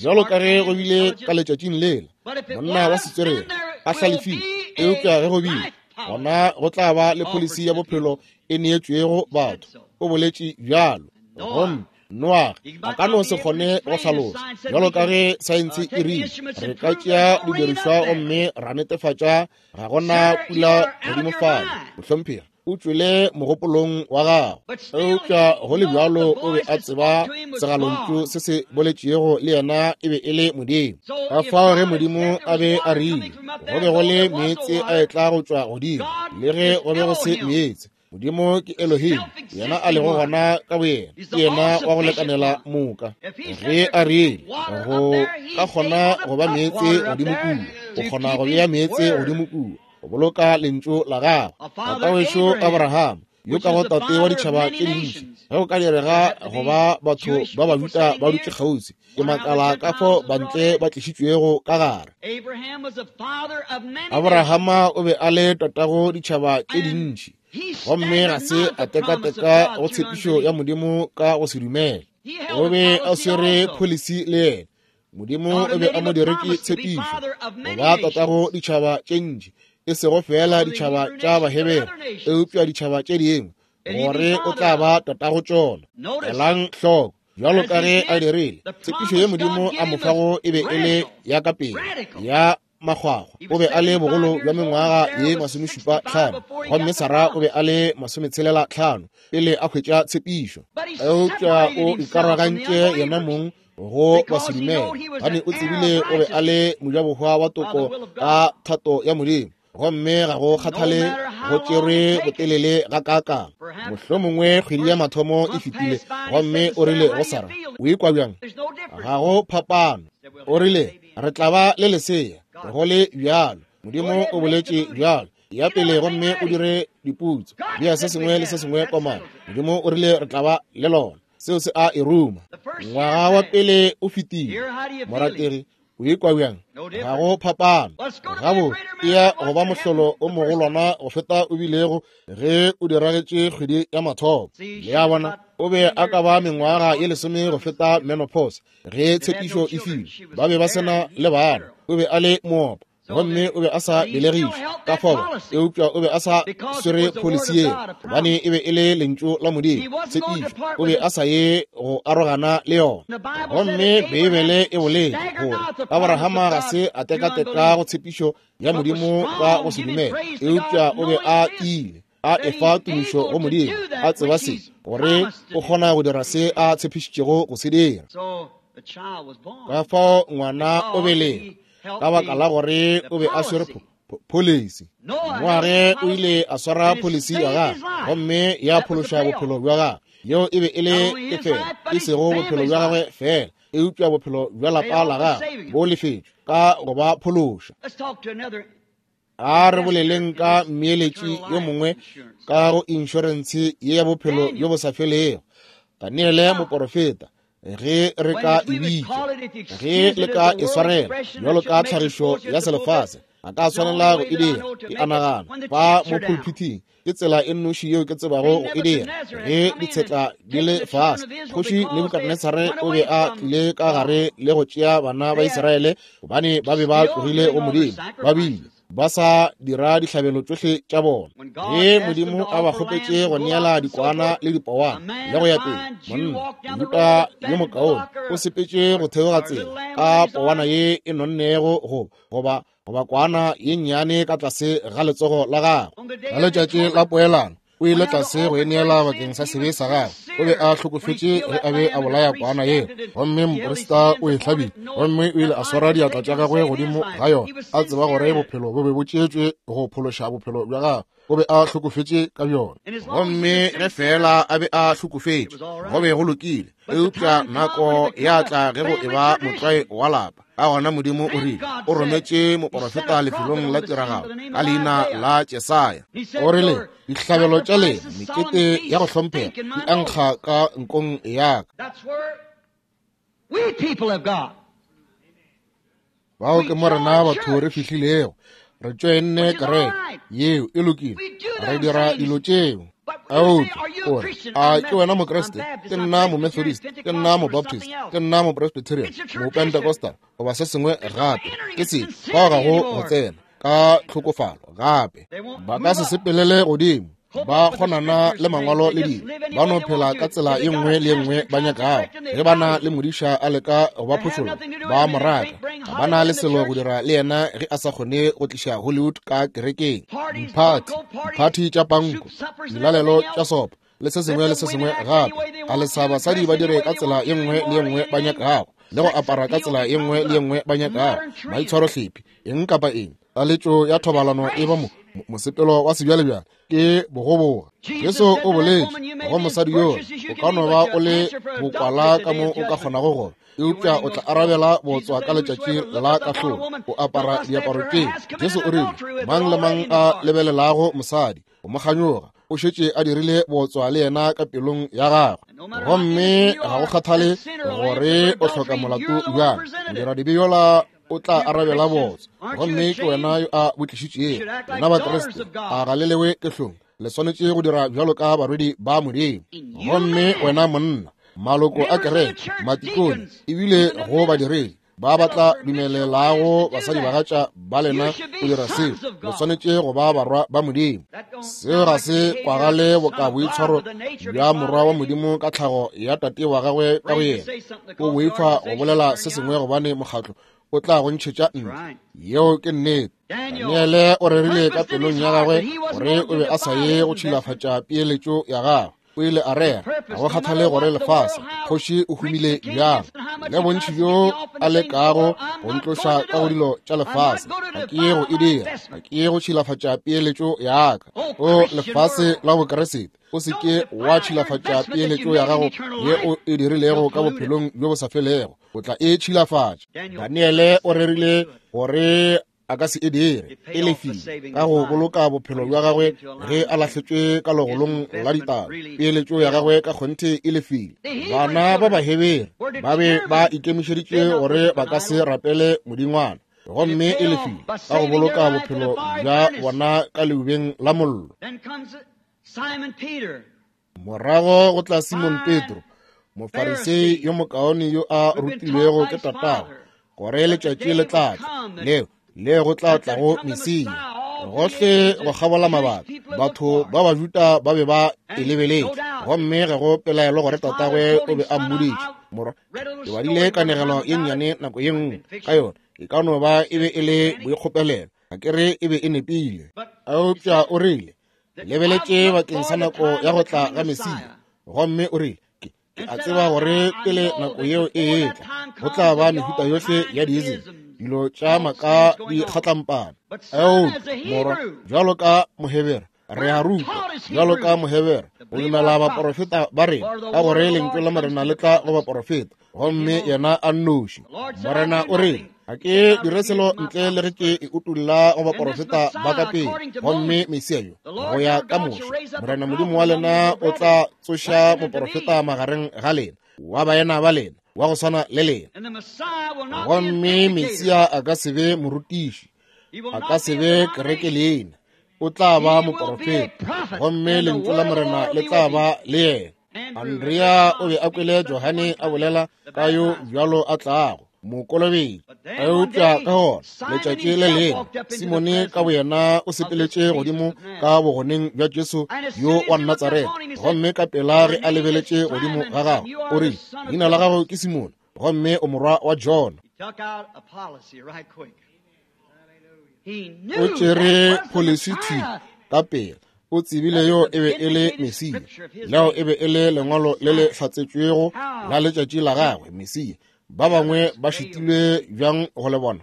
bjalo ka ge go bile ka letšatšing lela, monna wa setswerere a hlalefile, eupša ge go bile Gona go tla ba le pholisi ya bophelo e neetšwego batho. O boletše bjalo. Gomme Noage a ka no se kgone go hlalosa, bjalo ka ge saense e rile, re ka tšea didirišwa gomme ra netefatša ga gona pula godimo fale. Mohlomphegi, o tšwele mogopolong wa gago. Eupša go le bjalo o be a tseba segalontšu se se boletšego le yena e be e le Modimo. Ka fao ge Modimo a be a rile go be go le meetse a etla go tšwa godimo, le ge go be go se meetse, Modimo ke Elohim, yena a lego gona ka boyena, ke yena wa go lekanela moka. Ge a rile go ka kgona go ba meetse godimo kua, o kgona go bea meetse godimo kua, go boloka lentšu la gagwe. Tata wešo Abraham, yo ka go tate wa ditšhaba tše dintši, ge go ka direga go ba batho ba Bajuda ba dutše kgauswi, ke makala ka fao bantle ba tlišitšwego ka gare. Abrahama o be a le tatago ditšhaba tše dintši, gomme ga se a tekateka go tshepišo ya Modimo ka go se dumele. O be a swere pholisi le yena. Modimo o be a mo diretše tshepišo go ba tatago ditšhaba tše ntši, e sego feela ditšhaba tša Bahebere, eupša ditšhaba tše dingwe, gore o tla ba tatago tšona. Elang hloko, bjalo ka ge a dirile tshepišo ye Modimo a mo fago e be e le ya ka pele ya makgwakgwa. O be a le bogolo bja mengwaga ye 75, gomme Sara o be a le 65 pele a hwetša tshepišo. Eupša o ikarogantše yena mong go basedumele, gobane o tsebile o be a le mojabohwa wa toko ka thato ya Modimo. Gomme ga go kgathale go tšerwe botelele gakaakang, mohlomongwe kgwedi ya mathomo e fetile, gomme o rile go Sara, o ikwa bjang? Ga go phapano. O rile, re tla ba le lesea go le bjalo. Modimo o boletše bjalo. Ya pele gomme o dire diputso, bea se sengwe le se sengwe komana. Modimo o rile re tla ba le lona. Seo se a e ruma. Ngwaga wa pele o fetile. Morategi, o ikwa bjang? Ga go phapano. Gabo e ya go ba mohlolo o mogolwana go feta o bilego ge o diragetše kgwedi ya mathomo. Le a bona, o be a ka ba mengwaga ye 10 go feta menopause ge tshepišo e filwe. Ba be ba se na le bana. O be a le moopa, gomme o be a sa belegišwa ka fao, eupša o be a sa swere pholisi yeo, gobane e be e le lentšu la Modimo, tshepišo. O be a sa ye go arogana le yona. Gomme Beibele e boletše gore Abrahama ga se a tekateka go tshepišo ya Modimo ka go se dumele, eupša o be a tiile, a efa tumišo go Modimo, a tseba se, gore o kgona go dira se a tshepišitšego go se dira. Ka fao ngwana o belegwa ka baka la gore o be a swere pholisi. Noage o ile a swara pholisi ya gagwe, gomme ya phološa bophelo bja gagwe. Yeo e be e le tefelo, e sego bophelo bja gagwe feela, eupša bophelo bja lapa la gagwe bo lefetšwe ka go ba phološa. A re boleleng ka mmeeletši yo mongwe ka go inšorentshe ye ya bophelo bjo bo sa felego, Daniele moporofeta, ge re ka e bitša, ge le ka e swarela bjalo ka tlhagišo ya selefase, a ka swanela go e dira. Ke a nagana fa mo pulpithing ke tsela e nnoši yeo ke tsebago go e dira. Ge ditshetla di le fase, Kgoši Nebukadnesare o be a tlile ka gare le go tšea bana ba Israele, gobane ba be ba tlogile go Modimo, ba bile ba sa dira dihlabelo tšohle tša bona. Ge Modimo a ba kgopetše go neela dikwana le dipowana le go ya pele, monna Juda yo mokaone o sepetše go theoga tsela ka powana ye e nonnego goba goba kwana ye nnyane ka tlase ga letsogo la gagwe. Ka letšatši la poelano o ile tlase go e neela bakeng sa sebe sa gagwe. O be a hlokofetše ge a be a bolaya kwana yeo, gomme moprista o e hlabile, gomme o ile a swara diatla tša gagwe godimo ga yona, a tseba gore bophelo bo be bo tšeetšwe go phološa bophelo bja gagwe. O be a hlokofetše ka bjona, gomme ge feela a be a hlokofetše go be go lokile. Eupša nako ya tla ge go eba motlwae wa lapa. Ka gona Modimo o rile o rometše moporofeta lefelong la tiragalo ka leina la Jesaya. O rile, dihlabelo tša lena, mekete ya go hlomphega, di ankga ka nkong ya ka. Bao ke mo rena batho re fihlilego. Re tšoenne kereke yeo e lokile, re dira dilo tšeo. Eupša o re, a ke wena Mokriste? Ke nna Momethodist, ke nna Mobaptist, ke nna Mopresbyterian, Mopentecostal, goba se sengwe gape. Ke se, fao ga go go tsena. ka tlhokofalo gape. Ba ka se sepelele godimo, ba kgonana le mangwalo le dilo, ba no phela ka tsela ye nngwe le ye nngwe ba nyakago. Ge ba na le modiša a leka go ba phošolla, ba mo raka. Ga ba na le selo go dira le yena ge a sa kgone go tliša Hollywood ka kerekeng. Diphathi, diphathi tša panko, dilalelo tša sopo, le se sengwe le se sengwe gape. A lesa basadi ba dire ka tsela ye nngwe le ye nngwe ba nyakago, le go apara ka tsela ye nngwe le ye nngwe ba nyakago, maitshwarohlephi, eng kapa eng. Taletšo ya thobalano e ba mosepelo wa sebjalebjale, ke bogoboga. Jesu o boletše go mosadi yola, o ka no ba o le bokwala ka mo o ka kgonago go, eupša o tla arabela botswa ka letšatši la kahlolo. O apara diaparo tše. Jesu o rile, mang le mang a lebelelago mosadi o mo kganyoga, o šetše a dirile botswa le yena ka pelong ya gagwe. Gomme ga go kgathale gore o hloka molato bjang, modiradibe yola o tla arabela botswa, gomme ke wena yo a bo tlišitšego. Lena Bakriste, a ga le lewe ke hlong? Le swanetše go dira bjalo ka barwedi ba Modimo. Gomme wena monna, maloko a kereke, matikone, ebile go badiredi ba ba tla dumelelago basadibagatša ba lena go dira seo, le swanetše go ba barwa ba Modimo. Seo ga se kwagale boka boitshwaro bja morwa wa Modimo ka tlhago ya tate wa gagwe ka go yena. O boifa go bolela se sengwe gobane mokgatlo o tla go ntšhetša ntle. Yeo ke nnete. Daniele o rerile ka pelong ya gagwe gore o be a sa ye go tšhilafatša peeletšo ya gagwe. O ile a rera, ga go kgathale gore lefase kgoši o humile bjang, le bontši bjo a lekago go ntloša ka go dilo tša lefase, ga ke ye go e dira, ga ke ye go tšhilafatša peeletšo ya ka. O lefase la Bokeresete, o se ke wa tšhilafatša peeletšo ya gago ye o e dirilego ka bophelong bjo bo sa felego, o tla e tšhilafatša. Daniele o rerile gore a ka se e dire, e lefile ka go boloka bophelo bja gagwe ge a lahletšwe ka legolong la ditaba. Peeletšo ya gagwe ka kgonthe e lefile. Bana ba Bahebere ba be ba ikemišeditše gore ba ka se rapele modingwana, gomme e lefile ka go boloka bophelo bja bona ka leubeng la mollo. Morago go tla Simon Petro, Mofarisei yo mokaone yo a rutilwego ke tatagwe, gore letšatši le tla tla leo le go tla tlago Mesia. Gohle go kgabola mabaka, batho ba Bajuda ba be ba e lebeletše, gomme ga go pelaelo gore tatagwe o be a mmoditše. Morwa, ke badile kanegelo ye nnyane nako ye nngwe ka yona, e ka no ba e be e le boikgopelelo, ga ke re e be e nepile, eupša o rile, lebeletše bakeng sa nako ya go tla ga Mesia, gomme o rile, ke a tseba gore pele nako yeo e etla go tla ba mehuta yohle ya diism, dilo tša maka di kgatlampana. Eupša morwa, bjalo ka Mohebere, re a rutwa bjalo ka Mohebere go dumela baporofeta ba rena, ka gore lentšu la Morena le tla go baporofeta, gomme yena a nnoši. Morena o rile, ga ke dire selo ntle le ge ke e utolla go baporofeta ba ka pele. Gomme Mesia yo, go ya ka Moshe, Morena Modimo wa lena o tla tsoša moporofeta magareng ga lena, wa baena ba lena, wa go swana le lena. Gomme Mesia a ka se be morutiši, a ka se be kereke leina, o tla ba moporofeta, gomme lentšu la Morena le tla ba le yena. Andrea o be a kwele Johane a bolela ka yo bjalo a tlago mokolobetši, eupša ka gona letšatši le lengwe Simone ka boyena o sepeletše godimo ka bogoneng bja Jesu yo wa Natsaretha, gomme ka pela ge a lebeletše godimo ga gagwe o rile, leina la gago ke Simone, gomme o morwa wa Jona. O tšere pholisi thwi ka pela. O tsebile yo e be e le Mesia. Leo e be e le lengwalo le le hlatsetšwego la letšatši la gagwe, Mesia. Ba bangwe ba šitilwe bjang go le bona?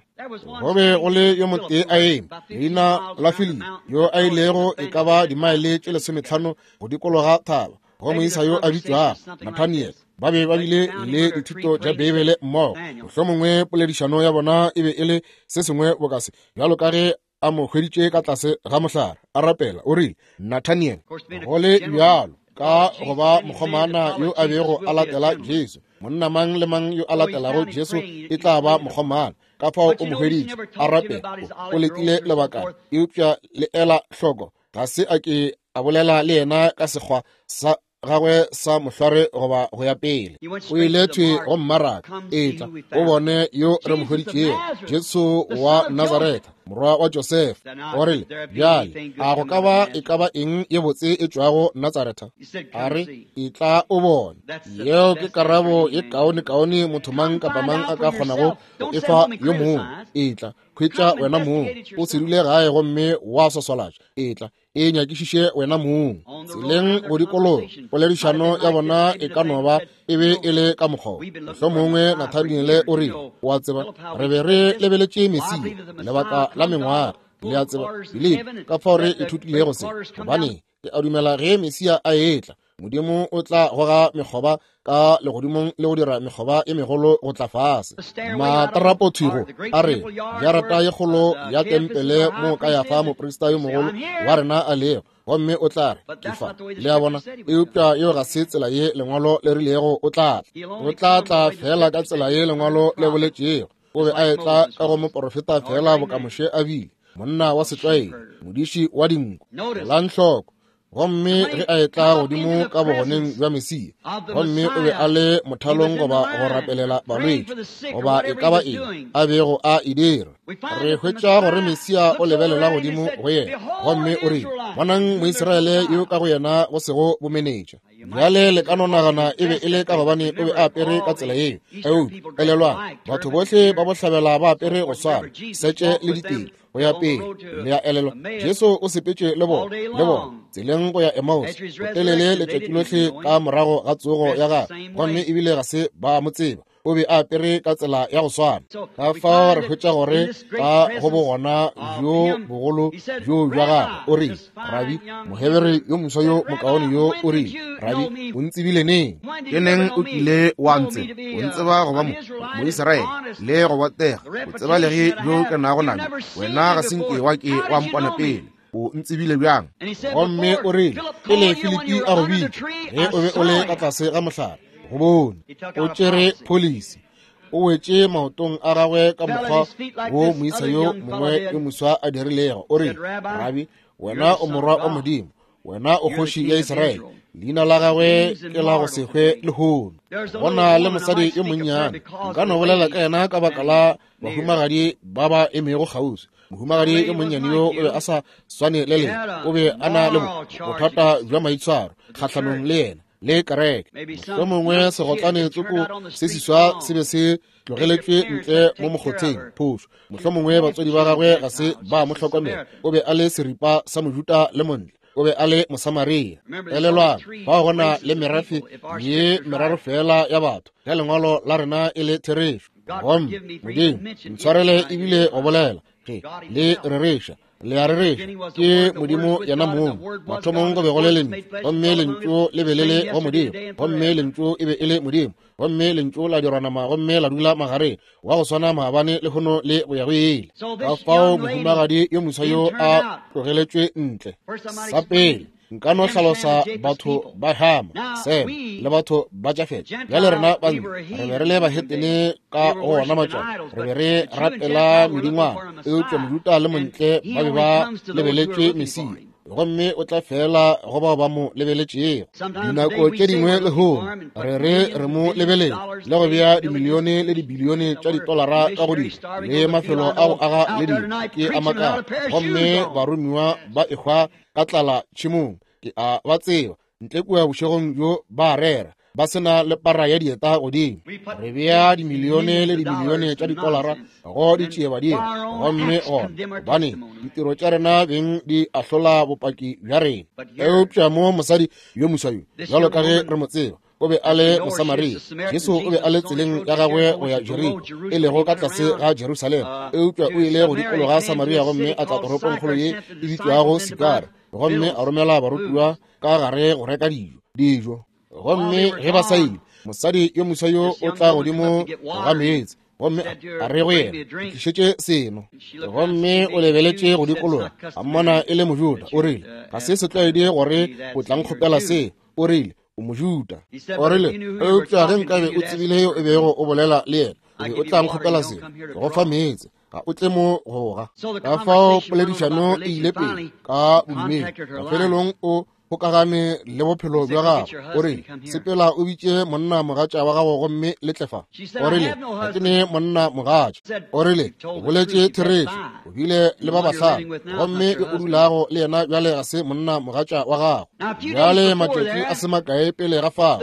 Go be go le yo motee a eme, leina la Filipi, yo a ilego e ka ba dimaele tše 15 go dikologa thaba, go moisa yo a bitšwago Nathaniel. Ba be ba bile le dithuto tša Beibele mmogo. Mohlomongwe poledišano ya bona e be e le se sengwe boka se, bjalo ka ge a mo hweditše ka tlase ga mohlare a rapela, o rile, Nathaniel, go le bjalo ka go ba mokgomana yo a bego a latela Jesu, monna mang le mang yo a latelago Jesu e tla ba mokgomana. Ka fao o mo hweditše a rapela, o letile lebakana, eupša le ela hloko, ga se a ke a bolela le yena ka sekgwa sa gagwe sa mohlware goba go ya pele. O ile thwi go mmaraka, etla o bone yo re mo hweditšego, Jesu wa Nazaretha. morwa wa Josefa. O rile, Bjale, a go ka ba e ka ba eng ye botse e tšwago Natsaretha? A re, Etla o bone. Yeo ke karabo ye kaonekaone motho mang kapa mang a ka kgonago go e fa yo mongwe. Etla, hwetša wena mong. O se dule gae gomme wa swaswalatša. Etla, e nyakišiše wena mong. Tseleng go dikologa, poledišano ya bona e ka no ba e be e le ka mokgwa wo. Mohlomongwe Nathaniele o rile, O a tseba, re be re lebeletše Mesia lebaka la mengwaga. Le a tseba, Filipi, ka fao re ithutilego se. Gobane ke a dumela ge Mesia a etla, Modimo o tla goga mekgoba ka legodimong le go dira mekgoba e megolo go tla fase. Matarapothwigo a re, Jarata ye kgolo ya tempele mo Kayafa moprista yo mogolo wa rena a lego, gomme o tla re, Ke fa. Le a bona? Eupša yeo ga se tsela ye Lengwalo le rilego o tla tla. O tla tla feela ka tsela ye Lengwalo le boletšego. O be a etla ka go moporofeta feela boka Moshe a bile, monna wa setlwaedi, modiši wa dinku. Elang hloko. Gomme ge a etla godimo ka bogoneng bja Mesia, gomme o be a le mothalong goba go rapelela balwetši goba e ka ba eng a bego a e dira, re hwetša gore Mesia o lebelela godimo go yena gomme o rile, Bonang Moisraele yo ka go yena go sego bomenetša. Bjale le ka no nagana e be e le ka gobane o be a apere ka tsela yeo. Eupša elelwang, batho bohle ba bohlabela ba apere go swana, setše le diteng go ya pele. Le a elelwa, Jesu o sepetše le bona, le bona tseleng go ya Emmaus, botelele letšatši lohle ka morago ga tsogo ya gagwe, gomme ebile ga se ba mo tseba. O be a apere ka tsela ya go swana. Ka fao re hwetša gore ka go bogona bjo bogolo bjo bja gagwe, o rile, Rabi, Mohebere yo moswa yo mokaone yo, o rile, Rabi, o ntsebile neng? Ke neng o kile wa ntseba? O ntseba go ba Moisraele le go botega, botsebalegi bjo ke nago nabjo. Wena ga se nke wa ke wa mpona pele. O ntsebile bjang? Gomme o rile, Pele Filipi a go bitša, ge o be o le ka tlase ga mohlare, go bone. O tšere pholisi. O wetše maotong a gagwe ka mokgwa wo moisa yo mongwe yo moswa a dirilego. O rile, Rabi, wena o morwa wa Modimo, wena o kgoši ya Israele. Leina la gagwe ke la go se hwe lehono. Go na le mosadi yo monnyane, nka no bolela ka yena ka baka la bahumagadi ba ba emego kgauswi. Mohumagadi yo monnyane yo o be a sa swane le lena, o be a na le bothata bja maitshwaro kgahlanong le yena le kereke. Mohlomongwe segotlane tsoko se seswa se be se tlogeletšwe ntle mo mokgotheng, phošo. Mohlomongwe batswadi ba gagwe ga se ba mo hlokomela. O be a le seripa sa Mojuda le montle. O be a le Mosamaria. Elelwang, fao go na le merafe ye meraro feela ya batho, ge lengwalo la rena e le therešo. Gomme Modimo ntshwarele ebile go bolela ge le rereša, le a rereša, ke Modimo yena mong. Mathomong go be go le Lentšu, gomme Lentšu le be le le go Modimo, gomme Lentšu e be e le Modimo, gomme Lentšu la dirwa nama gomme la dula magareng, wa go swana maabane lehono le go ya go ile. Ka fao mohumagadi yo moswa yo a tlogeletšwe ntle. Sa pele, nka no hlalosa batho ba Hama, Sem le batho ba Jafete. Bjale rena ba re be re le bahetene ka go ona matšatši, re be re rapela medingwana, eupša Mojuda le Montle ba be ba lebeletšwe Mesia, gomme o tla fela go bao ba mo lebeletšego. Dinako tše dingwe lehono re re re mo lebeletše le go bea dimilione le dibilione tša ditolara ka go dilo le mafelo a go aga le dilo ke a makala, gomme baromiwa ba ehwa ka tlala tšhemong. Ke a ba tseba ntle kua bošegong bjo ba rera ba se na le para ya dieta godimo. Re bea dimilione le dimilione tša ditolara go ditšiebadimo, gomme gona gobane ditiro tša rena beng di ahlola bopaki bja rena. Eupša mo mosadi yo moswa yo, bjalo ka ge re mo tseba, o be a le Mosamaria. Jesu o be a le tseleng ya gagwe go ya Jeriko, e lego ka tlase ga Jerusalema, eupša o ile go dikologa Samaria gomme a tla toropongkgolo ye e bitšwago Sikara, gomme a romela barutiwa ka gare go reka dijo. Gomme ge ba sa ile, mosadi yo moswa yo o tla godimo ga meetse, gomme a re go yena, Ntlišetše seno. Gomme o lebeletše go dikologa, a mmona e le Mojuda. O rile, Ga se setlwaedi gore o tla nkgopela se. O rile, O Mojuda. O rile, Eupša ge nkabe o tsebile yo e bego o bolela le yena, o be o tla nkgopela seno, ke go fa meetse, ga o tle mo go ga. Ka fao poledišano e ile pele ka bodumedi. Mafelelong o kgokagane le bophelo bja gagwe. O rile, Sepela o bitše monna mogatša wa gago gomme le tle fa. O rile, Ga ke ne monna mogatša. O rile, O boletše therešo. O bile le ba bahlano, gomme yo o dulago le yena bjale ga se monna mogatša wa gago. Bjale matšatši a se makae pele ga fao,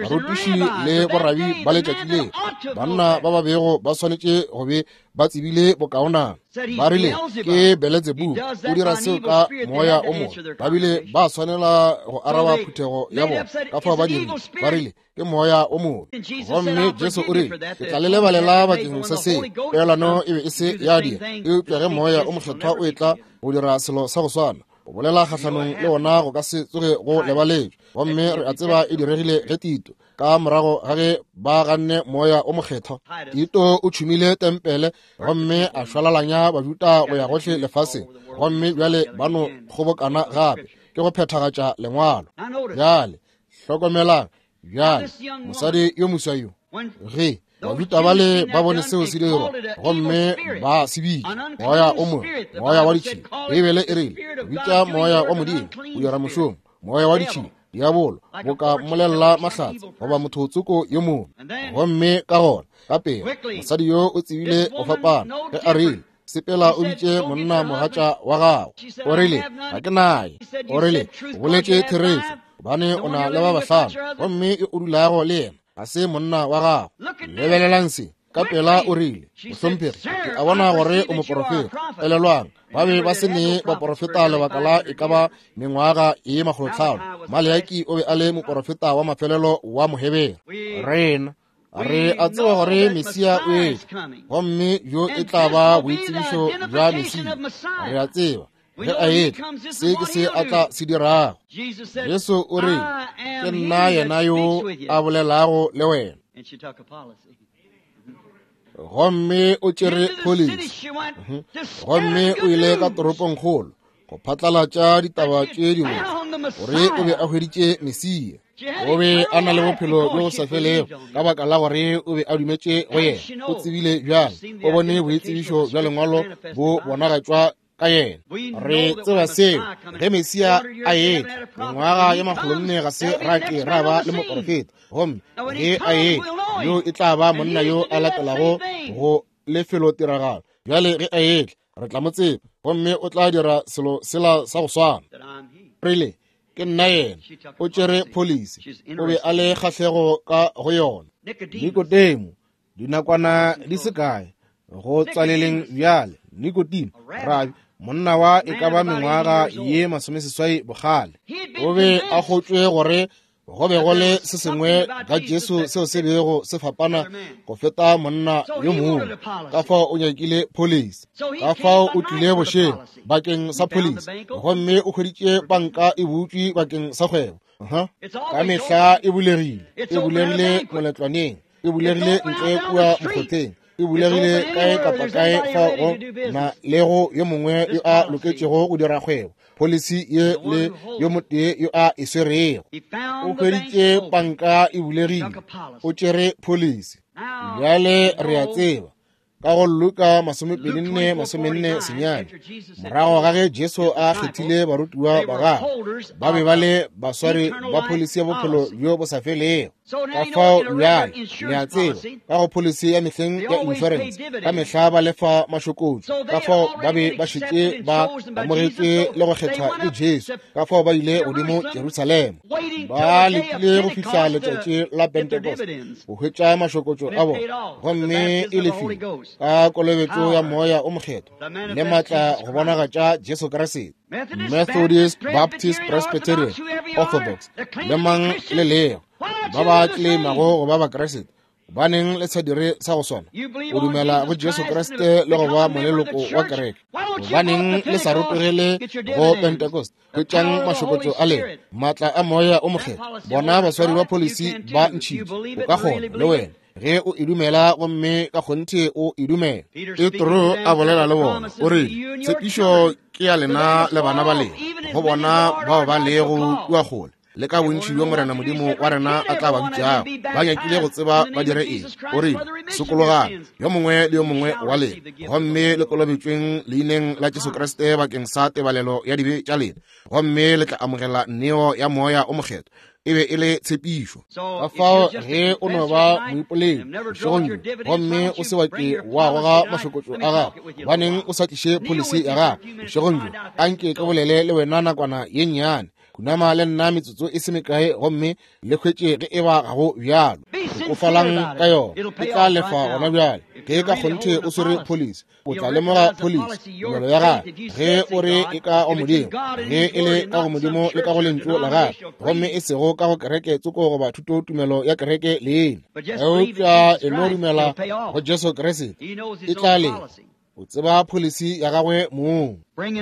barutiši le borabi ba letšatši leo, banna ba ba bego ba swanetše go be ba tsebile bokaonana, ba rile ke Beletsebubu, o dira seo ka moya o mobe. Ba bile ba swanela go araba phuthego ya bona, ka fao ba dirile, ba rile ke moya o mobe. Gomme Jesu o rile, ke tla le lebalela bakeng sa seo. Peelano e be e se ya dira, eupša ge moya o mokgethwa o etla go dira selo sa go swana, go bolela kgahlanong le ona go ka se tsoge go lebaletšwe. Gomme re a tseba e diregile ge Tito, ka morago ga ge ba ganne moya o mokgethwa, Tito o tšhumile tempele gomme a šwalalanya Bajuda go ya gohle lefaseng, gomme bjale ba no kgobokana gape ke go phethagatša lengwalo. Bjale hlokomelang, bjale mosadi yo moswa yo, ge Bajuda bale ba bone seo se dirwa gomme ba se bitša moya o mobe, moya wa ditšhila. Beibele e rile, bitša moya wa Modimo o dira mošomo, moya wa ditšhila, diabolo, boka mmolelela mahlatse goba motho tsoko yo mobe. Gomme ka gona ka pela mosadi yo o tsebile go fapana ge a rile, sepela o bitše monna mogatša wa gago. O rile, ga ke naye. O rile, o boletše therešo, gobane o na le ba bahlano, gomme yo o dulago le yena ga se monna wa gago. Lebelelang se. Ka pela o rile, mohlomphegi, ke a bona gore o moporofeta. Elelwang, ba be ba se ne baporofeta lebaka la e ka ba mengwaga ye 500. Maleaki o be a le moporofeta wa mafelelo wa Mohebere. Rena re a tseba gore Mesia o etla, gomme yo e tla ba boitsebišo bja Mesia. Re a tseba ge a etla se ke se a tla se dirago. Jesu o re, ke nna yena yo a bolelago le wena. Gomme o tšere pholisi, gomme o ile ka toropongkgolo go phatlalatša ditaba tše dibotse gore o be a hweditše Mesia. O be a na le bophelo bjo bo sa felego ka baka la gore o be a dumetše go yena. O tsebile bjang, o bone boitsebišo bja lengwalo bo bonagatšwa ka yena. Re tseba seo ge Mesia a etla, mengwaga ye 400 ga se ra ke ra ba le moporofeta, gomme ge a etla, yo e tla ba monna yo a latelago go lefelotiragalo. Bjale ge a etla, re tla mo tseba, gomme o tla dira selo sela sa go swana. Rile, ke nna yena. O tšere pholisi, o be a le kgahlego ka go yona. Nikodemo, dinakwana di se kae go tswaleleng bjale. Nikodemo, rabi, monna wa e ka ba mengwaga ye 80 bogale, o be a kgotšwe gore go be go le se sengwe ka Jesu seo se bego se fapana go feta monna yo mongwe. Ka fao o nyakile pholisi, ka fao o tlile bošego bakeng sa pholisi, gomme o hweditše banka e butšwe bakeng sa kgwebo. Ka mehla e bulegile, e bulegile moletlwaneng, e bulegile ntle kua mokgotheng, e bulegile kae kapa kae fa go na le go yo mongwe yo a loketšego go dira kgwebo. Pholisi ye le yo motee yo a e swerego. O hweditše panka e bulegile, o tšere pholisi. Bjale re a tseba ka go Luka 24:49, morago ga ge Jesu a kgethile barutiwa ba gagwe, ba be ba le baswari ba pholisi ya bophelo bjo bo sa felego. Ka fao bjale le a tseba ka go pholisi ya mehleng ya insurance, ka mehla ba lefa mašokotšo. Ka fao ba be ba šetše ba amogetšwe le go kgethwa ke Jesu. Ka fao ba ile godimo Jerusalema, ba letile go fihla letšatši la Pentecost go hwetša mašokotšo a bona, gomme e lefile ka kolobetšo ya moya o mokgethwa le maatla go bonagatša Jesu Kriste. Methodist, Baptist, Presbyterian, Orthodox, le mang le lego ba ba claimago go ba Bakriste, gobaneng le sa dire sa go swana? O dumela go Jesu Kriste le go ba moleloko wa kereke, gobaneng le sa rotogele go Pentecost? Hwetšang mašokotšo a lena, maatla a moya o mokgethwa. Bona baswari ba pholisi ba ntšhitše. O ka kgona le wena ge o e dumela, gomme ka kgonthe o e dumela. Petro a bolela le bona, o rile, tshepišo ke ya lena le bana ba lena, go bona bao ba lego kua kgole, le ka bontši bjo Morena Modimo wa rena a tla ba bitšago. Ba nyakile go tseba ba dire eng. O rile, sokologang, yo mongwe le yo mongwe wa lena, gomme le kolobetšweng leineng la Jesu Kriste bakeng sa tebalelo ya dibe tša lena, gomme le tla amogela neo ya moya o mokgethwa. E be e le tshepišo. Ka fao ge o no ba moipoledi bošegong bjo, gomme o se wa ke wa goga mašokotšo a gago, gobaneng o sa tliše pholisi ya gago bošegong bjo? Anke ke bolele le wena nakwana ye nnyane. Khunama le nna metsotso e se mekae gomme le hwetše ge e ba ga go bjalo. Hlokofalang ka yona, e tla lefa gona bjale. Ge ka kgonthe o swere pholisi, o tla lemoga pholisi tumelo ya gagwe ge o re e ka go Modimo, ge e le ka go Modimo le ka go lentšu la gagwe, gomme e sego ka go kereke tsoko goba thuto tumelo ya kereke leina, eupša e no dumela go Jesu Kriste, e tla lefa. O tseba pholisi ya gagwe mong.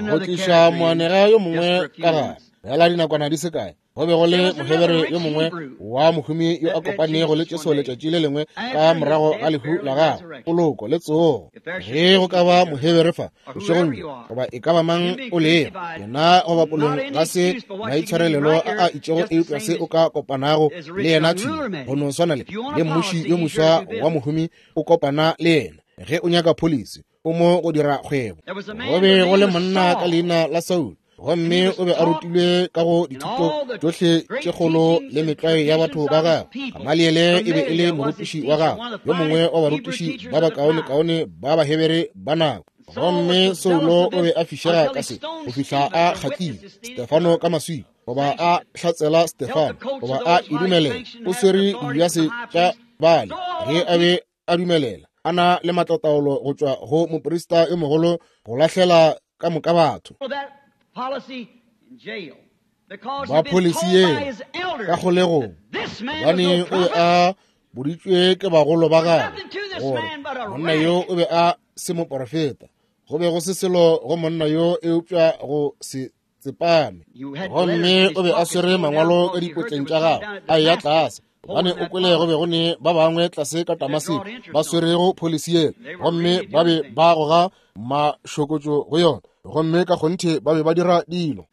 Go tliša moanega yo mongwe ka gare fela dinakwana di se kae, go be go le Mohebere yo mongwe wa mohumi yo a kopanego le Jesu letšatši le lengwe ka morago ga lehu la gagwe, poloko le tsogo. Ge go ka ba Mohebere fa bošegong bjo, goba e ka ba mang o lego, yena goba polong ga se maitshwarelelo a a itšego, eupša se o ka kopanago le yena thwi go no swana le mmuši yo moswa wa mohumi o kopana le yena. Ge o nyaka pholisi, o mo go dira kgwebo. Go be go le monna ka leina la Saulo, gomme o be a rutilwe ka go dithuto tšohle tše kgolo le metlwae ya batho ba gagwe. Gamaliele e be e le morutiši wa gagwe, yo mongwe wa barutiši ba bakaonekaone ba Bahebere ba nako. Gomme Saulo o be a fišega ka se go fihla a kgatlile Stefano ka maswika, goba a hlatsela Stefano, goba a e dumelela. O swere dibjase tša bale ge a be a dumelela a na le matlataolo go tšwa go moprista yo mogolo go lahlela ka moka batho ba pholisi yeo ka kgolegong, gobane o be a boditšwe ke bagolo ba gagwe gore monna yo o be a se moporofeta. Go be go se selo go monna yo eupša go se tsepame. Gomme o be a swere mangwalo ka dipotleng tša gagwe a eya tlase, gobane o kwele go be go ne ba bangwe tlase ka Damaseko ba swerego pholisi yela, gomme ba be ba goga mašokotšo go yona, gomme ka kgonthe ba be ba dira dilo.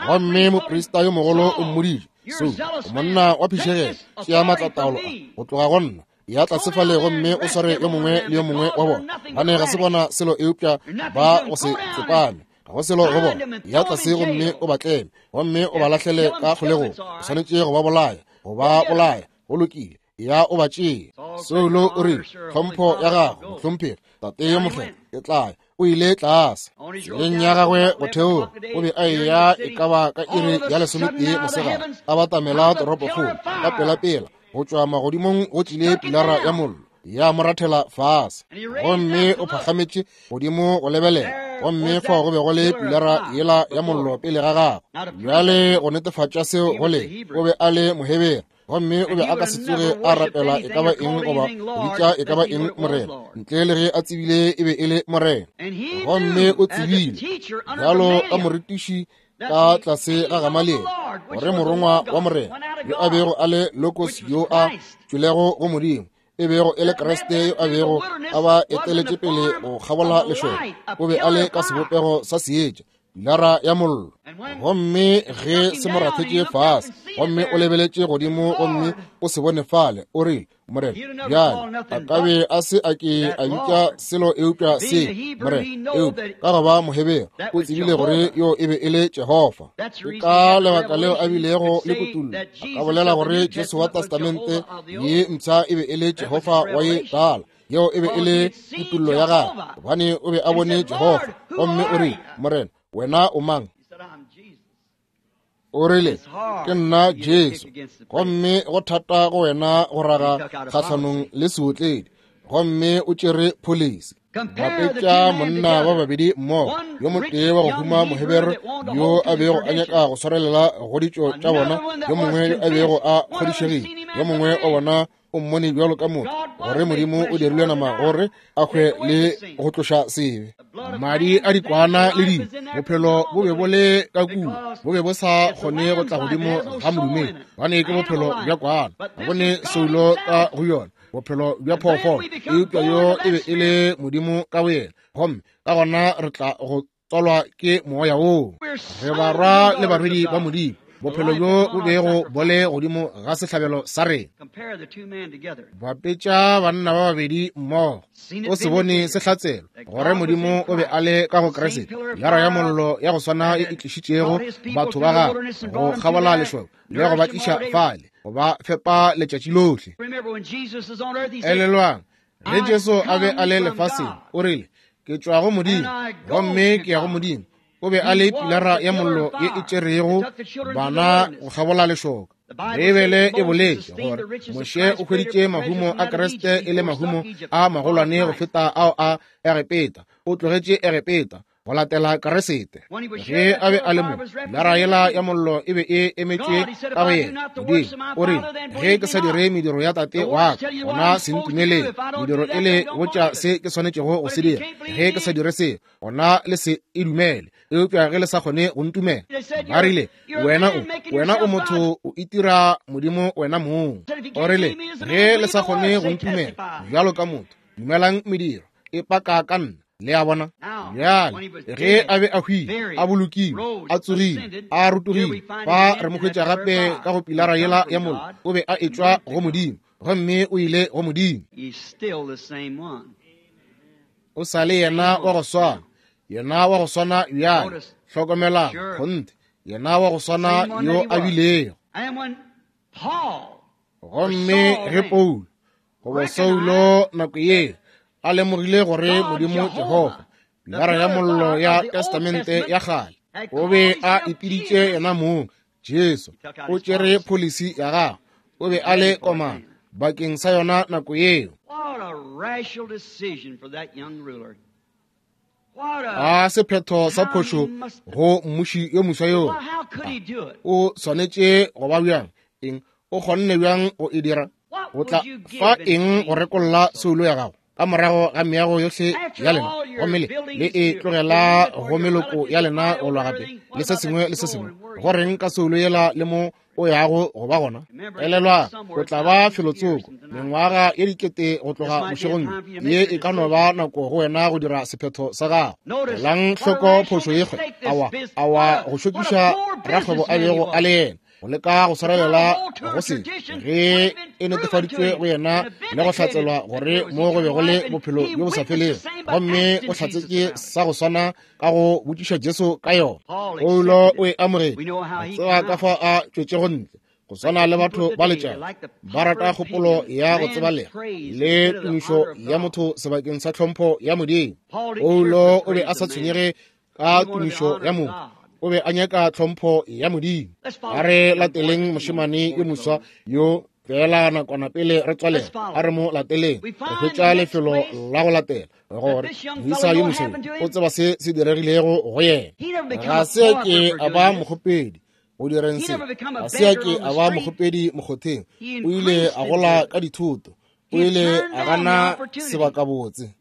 Gomme moprista yo mogolo o mmoditše, Saulo, o monna wa phišegelo, tšea maatlataolo a go tloga go nna, ya tlase fale gomme o sware yo mongwe le yo mongwe wa bona, gobane ga se bona selo eupša ba go se tsepame, ga go selo go bona. Ya tlase gomme o ba tleme gomme o ba lahlele ka kgolegong. O swanetše go ba bolaya, go ba bolaya. Go lokile, ya o ba tšee. Saulo o rile, tlhompho ya gago, mohlomphegi, tate yo mokgethwa, ke tla ya. O ile tlase tseleng ya gagwe go theoga. O be a eya e ka ba ka iri ya 11 mosegare, a batamela toropokgolo. Ka pelapela go tšwa magodimong go tlile pilara ya mollo, ya mo rathela fase. Gomme o phagametše godimo go lebelela, gomme fao go be go le pilara yela ya mollo pele ga gagwe. Bjale go netefatša seo go le, o be a le Mohebere, gomme o be a ka se tsoge a rapela e ka ba eng goba go bitša e ka ba eng Morena, ntle le ge a tsebile e be e le Morena. Gomme o tsebile bjalo ka morutiši ka tlase ga Gamaliele gore morongwa wa Morena yo a bego a le Logos yo a tšwelego go Modimo, e bego e le Kriste yo a bego a ba eteletše pele go kgabola lešoka, o be a le ka sebopego sa seetša, pilara ya mollo. Gomme ge se mo rathetše fase, gomme o lebeletše godimo gomme o se bone fale, o rile, Morena, bjale a ka be a se a ke a bitša selo eupša se Morena, eupša ka go ba Mohebere o tsebile gore yo e be e le Jehofa. Ke ka lebaka leo a bilego le kutullo, a ka bolela gore Jesu wa Testamente ye mpsha e be e le Jehofa wa ye tala. Yeo e be e le kutullo ya gagwe, gobane o be a bone Jehofa. Gomme o rile, Morena, wena o mang? O rile, ke nna Jesu, gomme go thata go wena go raga kgahlanong le seotledi. Gomme o tšere pholisi. Bapetša monna ba babedi mmogo, yo motee wa go huma Mohebere yo a bego a nyaka go swarelela go ditšo tša bona, yo mongwe yo a bego a kgodišegile, yo mongwe wa bona o mmone bjalo ka motho, gore Modimo o dirilwe nama gore a hwe le go tloša sebe. Madi a dikwana le dilo, bophelo bo be bo le ka kua, bo be bo sa kgone go tla godimo ga modumedi, gobane ke bophelo bja kwana, ga bo ne soulo ka go yona, bophelo bja phoofolo. Eupša yo e be e le Modimo ka boyena, gomme ka gona re tla go tswalwa ke moya woo. Re barwa le barwedi ba Modimo. Bophelo bjo bo bego bo le godimo ga sehlabelo sa rena. Bapetša banna ba babedi mmogo. O se bone se hlatselwa gore Modimo o be a le ka go Kriste, pilara ya mollo ya go swana e e tlišitšego batho ba gagwe go kgabola lešoka le go ba tliša fale, go ba fepa letšatši lohle. Elelwang, ge Jesu a be a le lefaseng, o rile, Ke tšwa go Modimo, gomme ke ya go Modimo. O be a le pilara ya mollo ye e tšerego bana go kgabola lešoka. Beibele e boletše gore Moshe o hweditše mahumo a Kriste e le mahumo a magolwane go feta ao a Egepeta. O tlogetše Egepeta go latela Kriste. Ge a be a le mo, pilara yela ya mollo e be e emetšwe ka go yena. Modimo o rile, Ge ke sa dire mediro ya Tate wa ka, gona se ntumeleng. Mediro e le botša se ke swanetšego go se dira. Ge ke sa dire se, gona le se e dumele. Eupša ge le sa kgone go ntumela, ba rile, wena o, wena o motho, o itira Modimo wena mong. O rile, ge le sa kgone go ntumela bjalo ka motho, dumelang mediro e paka ka nna. Le a bona? Bjale, ge a be a hwile, a bolokilwe, a tsogile, a rotogile, fa re mo hwetša gape ka go pilara yela ya mollo. O be a etšwa go Modimo, gomme o ile go Modimo. O sa le yena wa go swana, yena wa go swana bjale. Hlokomelang, kgonthe, yena wa go swana yo a bilego. Gomme ge Paulo goba Saulo nako ye a lemogile gore Modimo Jehofa, pilara ya mollo ya Testamente ya kgale, o be a ipiditše yena mong Jesu, o tšere pholisi ya gagwe, o be a le komana bakeng sa yona nako yeo. A sephetho sa phošo go mmuši yo moswa yoo. O swanetše go ba bjang? Eng? O kgonne bjang go e dira? O tla fa eng go rekolla soulo ya gago ka morago ga meago yohle ya lena, gomme le le e tlogela go meloko ya lena go lwa gape le se sengwe le se sengwe? Go reng ka soulo yela le mo o yago go ba gona? Elelwa, o tla ba felotsoko mengwaga ye dikete go tloga bošegong bjo. Ye e ka no ba nako go wena go dira sephetho sa gago. Elang hloko phošo ye kgwe, awa, awa, go šokiša rakgwebo a bego a le yena, go leka go swarelela go se ge e netefaditšwe go yena le go hlatselwa gore mo go be go le bophelo bjo bo sa felego, gomme o hlatsetše sa go swana ka go botšiša Jesu ka yona. Paulo o e amogetše, a tseba ka fa a tšwetšego ntle. Go swana le batho ba letšatši, ba rata kgopolo ya go tsebalega le tumišo ya motho sebakeng sa tlhompho ya Modimo. Paulo o be a sa tshwenyege ka tumišo ya motho, o be a nyaka tlhompho ya Modimo. A re lateleng mošemane yo moswa yo feela nakwana pele re tswalela. A re mo lateleng, re hwetša lefelo la go latela gore moisa yo moswa o tseba se se diregilego go yena. Ga se ke a ba mokgopedi go direng se, ga se a ke a ba mokgopedi mokgotheng. O ile a gola ka dithoto, o ile a gana sebakabotse.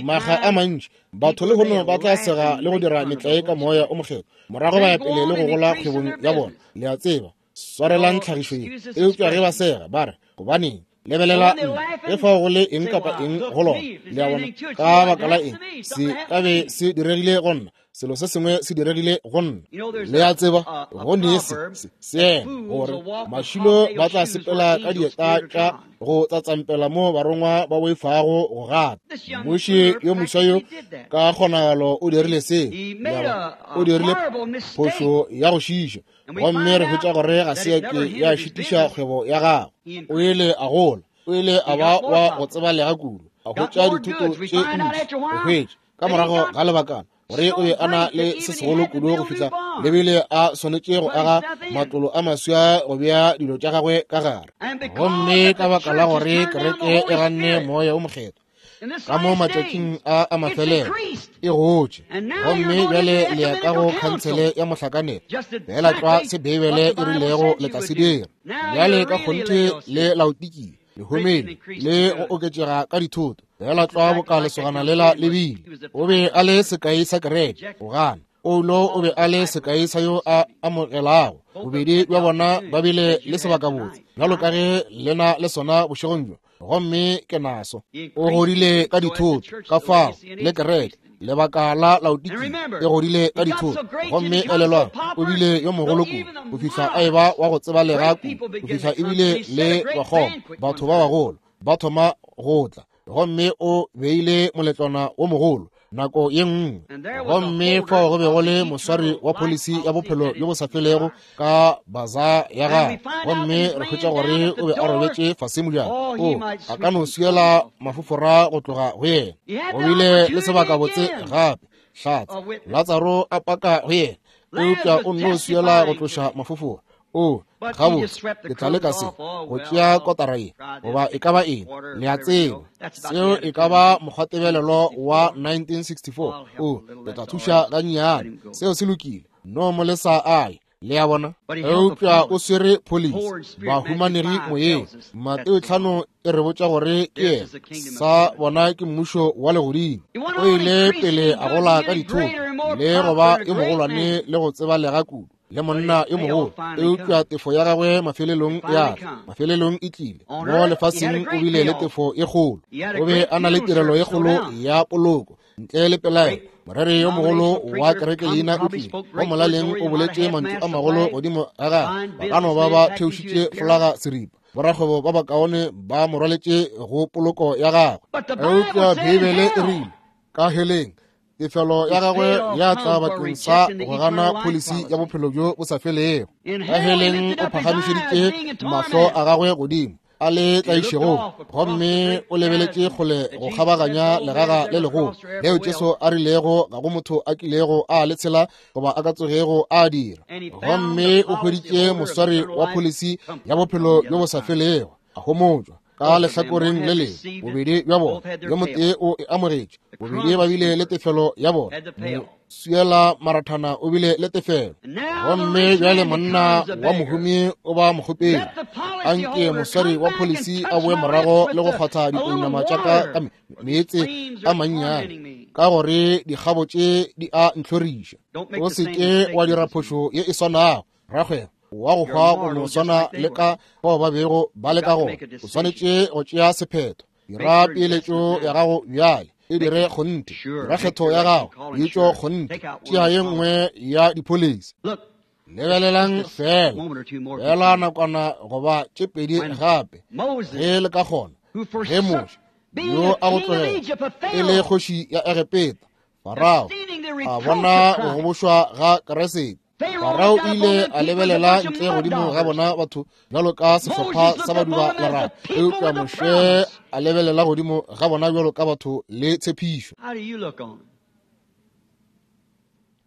Makga a mantši batho lehono ba tla sega le go dira metlae ka moya o mokgethwa, morago ba ya pele le go gola kgwebong ya bona. Le a tseba, swarelang tlhagišo ye. Eupša ge ba sega ba re, gobaneng, lebelela nna, ge fao go le eng kapa eng go lona. Le a bona? Ka baka la eng se ka be se diregile go nna? Selo se sengwe se diregile go nna. Le a tseba, go ne se seema gore mašilo ba tla sepela ka dieta tša go tsatsampela mo barongwa ba boifago go gata. Mmuši yo moswa yo ka kgonagalo o dirile se. O dirile phošo ya go šiša, gomme re hwetša gore ga se ya ke ya šitiša kgwebo ya gagwe. O ile a gola, o ile a ba wa go tsebalega kudu, a hwetša dithoto tše ntši. Go hwetša ka morago ga lebakana gore o be a na le se segolo kudu go fihla le bile a swanetše go aga matlolo a maswa go bea dilo tša gagwe ka gare. Gomme ka baka la gore kereke e ganne moya o mokgethwa ka mo matšatšing a a mafelelo, e gotše, gomme bjale le ya ka go khansele ya mohlakanelo, feela tlwa se Beibele e rilego le tla se dira. Bjale ka kgonthe le laotikile, le humile le go oketšega ka dithoto, feela tlwa boka lesogana lela le bile. O be a le sekai sa kereke go gana. Paulo o be a le sekai sa yo a amogelago. Bobedi bja bona ba bile le sebakabotse, bjalo ka ge le na le sona bošegong bjo. Gomme ke naso. O godile ka dithoto, ka fao, le kereke. Lebaka la Laodikia e godile ka dithoto. Gomme elelwang, o bile yo mogolo kudu go fihla a eba wa go tsebalega kudu, go fihla ebile le bakgoma, batho ba bagolo, ba thoma go tla. Gomme o beile moletlwana wo mogolo nako ye nngwe. Gomme fao go be go le moswari wa pholisi ya bophelo bjo bo sa felego ka baza ya gagwe. Gomme re hwetša gore o be a robetše fase mojako. O a ka no swiela mafofora go tloga go yena. O bile le sebakabotse gape. Hlatse Latsaro a paka go yena, eupša o nno swiela go tloša mafofora. O, gabotse, ke tla leka se, go tšea kotara ye, goba e ka ba eng, le a tseba, seo e ka ba mokgwatebelelo wa 1964. O, ke tla thuša gannyane, seo se lokile, no mo lesa aye, le a bona. Eupša o swere pholisi, bahumanegi moyeng. Mateo 5 e re botša gore ke yena, sa bona ke mmušo wa legodimo. O ile pele a gola ka dithoto, le go ba yo mogolwane le go tsebalega kudu, le monna yo mogolo, eupša tefo ya gagwe mafelelong ya tla, mafelelong e tlile. Mo lefaseng o bile le tefo e kgolo, o be a na le tirelo e kgolo ya poloko, ntle le pelaelo. Moreri yo mogolo wa kereke leina o tlile go molaleng, o boletše mantšu a magolo godimo ga gagwe. Ba ka no ba ba theošitše folaga seripa, borakgwebo ba bakaone ba mo rwaletše go poloko ya gagwe. Eupša Beibele e rile, ka heleng, tefelo ya gagwe ya tla bakeng sa go gana pholisi ya bophelo bjo bo sa felego. Ka heleng o phagamišeditše mahlo a gagwe godimo a le tlaišegong, gomme o lebeletše kgole go kgabaganya legaga le legolo leo Jesu a rilego ga go motho a kilego a le tshela goba a ka tsogego a dira. Gomme o hweditše moswari wa pholisi ya bophelo bjo bo sa felego, a homotšwa ka lehlakoreng le lengwe. Bobedi bja bona, yo motee o e amogetše, bobedi ba bile le tefelo ya bona. Swiela marathana o bile le tefelo. Gomme bjale monna wa mohumi o ba mokgopedi, anke moswari wa pholisi a boe morago le go kgwatha dipounama tša ka ka meetse a mannyane, ka gore dikgabo tše di a ntlhoriša. O se ke wa dira phošo ye e swanago, rakgwebo wa go hwa go no swana le ka bao ba bego ba le ka gona. O swanetše go tšea sephetho. Dira peeletšo ya gago bjale, e dire kgonthe. Dira kgetho ya gago, bitšo kgonthe. Tšea ye nngwe ya dipholisi. Lebelelang fela, fela nakwana goba tše pedi gape, ge le ka kgona. Ge Moshe, yo a go tlogela e le kgoši ya Egepeta, Farao a bona go gobošwa ga Keresete, Farao o ile a lebelela ntle godimo ga bona batho bjalo ka sehlopha sa baduba lerato, eupša Moshe a lebelela godimo ga bona bjalo ka batho le tshepišo.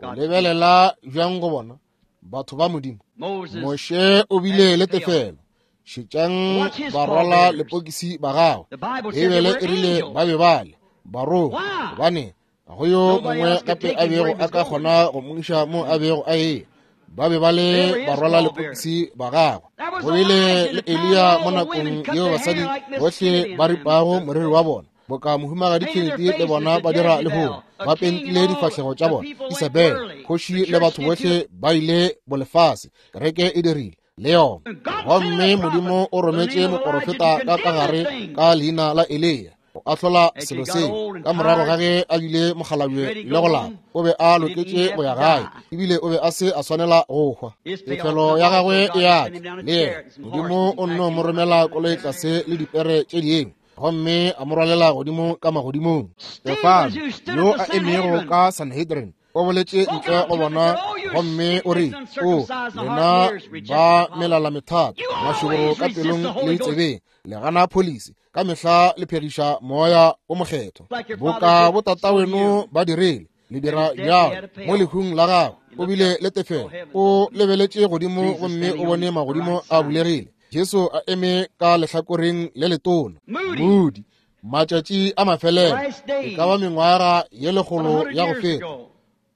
O lebelela bjang go bona batho ba Modimo? Moshe o bile le tefelo. Šetšang barwala lepokisi ba gagwe. Beibele e rile ba be ba le barongwa, gobane go yo mongwe gape a bego a ka kgona go mo iša mo a bego a eya. Ba be ba le barwala lepokisi ba gagwe. Go bile le Eliya mo nakong yeo basadi bohle ba ripago moriri wa bona, boka mohumagadi Kennedy le bona ba dira lehono, ba pentile difahlego tša bona. Isabel kgoši le batho bohle ba ile bolefase, kereke e dirile le yona. Gomme Modimo o rometše moporofeta ka ka gare ka leina la Eliya go ahlola selo seo. Ka morago ga ge a bile mokgalabje le go lapa, o be a loketše go ya gae, ebile o be a se a swanela go hwa. Tefelo ya gagwe e a tla le yena. Modimo o nno mo romela koloi tlase le dipere tše dingwe, gomme a mo rwalela godimo ka magodimong. Stefano, yo a emego ka Sanhedrin, o boletše ntle go bona gomme o re, O lena ba melala methata, mašoboro ka pelong le ditsebeng, le gana pholisi, ka mehla le phegiša moya o mokgethwa, boka botataweno ba dirile, le dira bjalo. Mo lehung la gagwe o bile le tefelo. O lebeletše godimo gomme o bone magodimo a bulegile, Jesu a eme ka lehlakoreng le letona. Moody, matšatši a mafelelo, e ka ba mengwaga ye lekgolo ya go feta,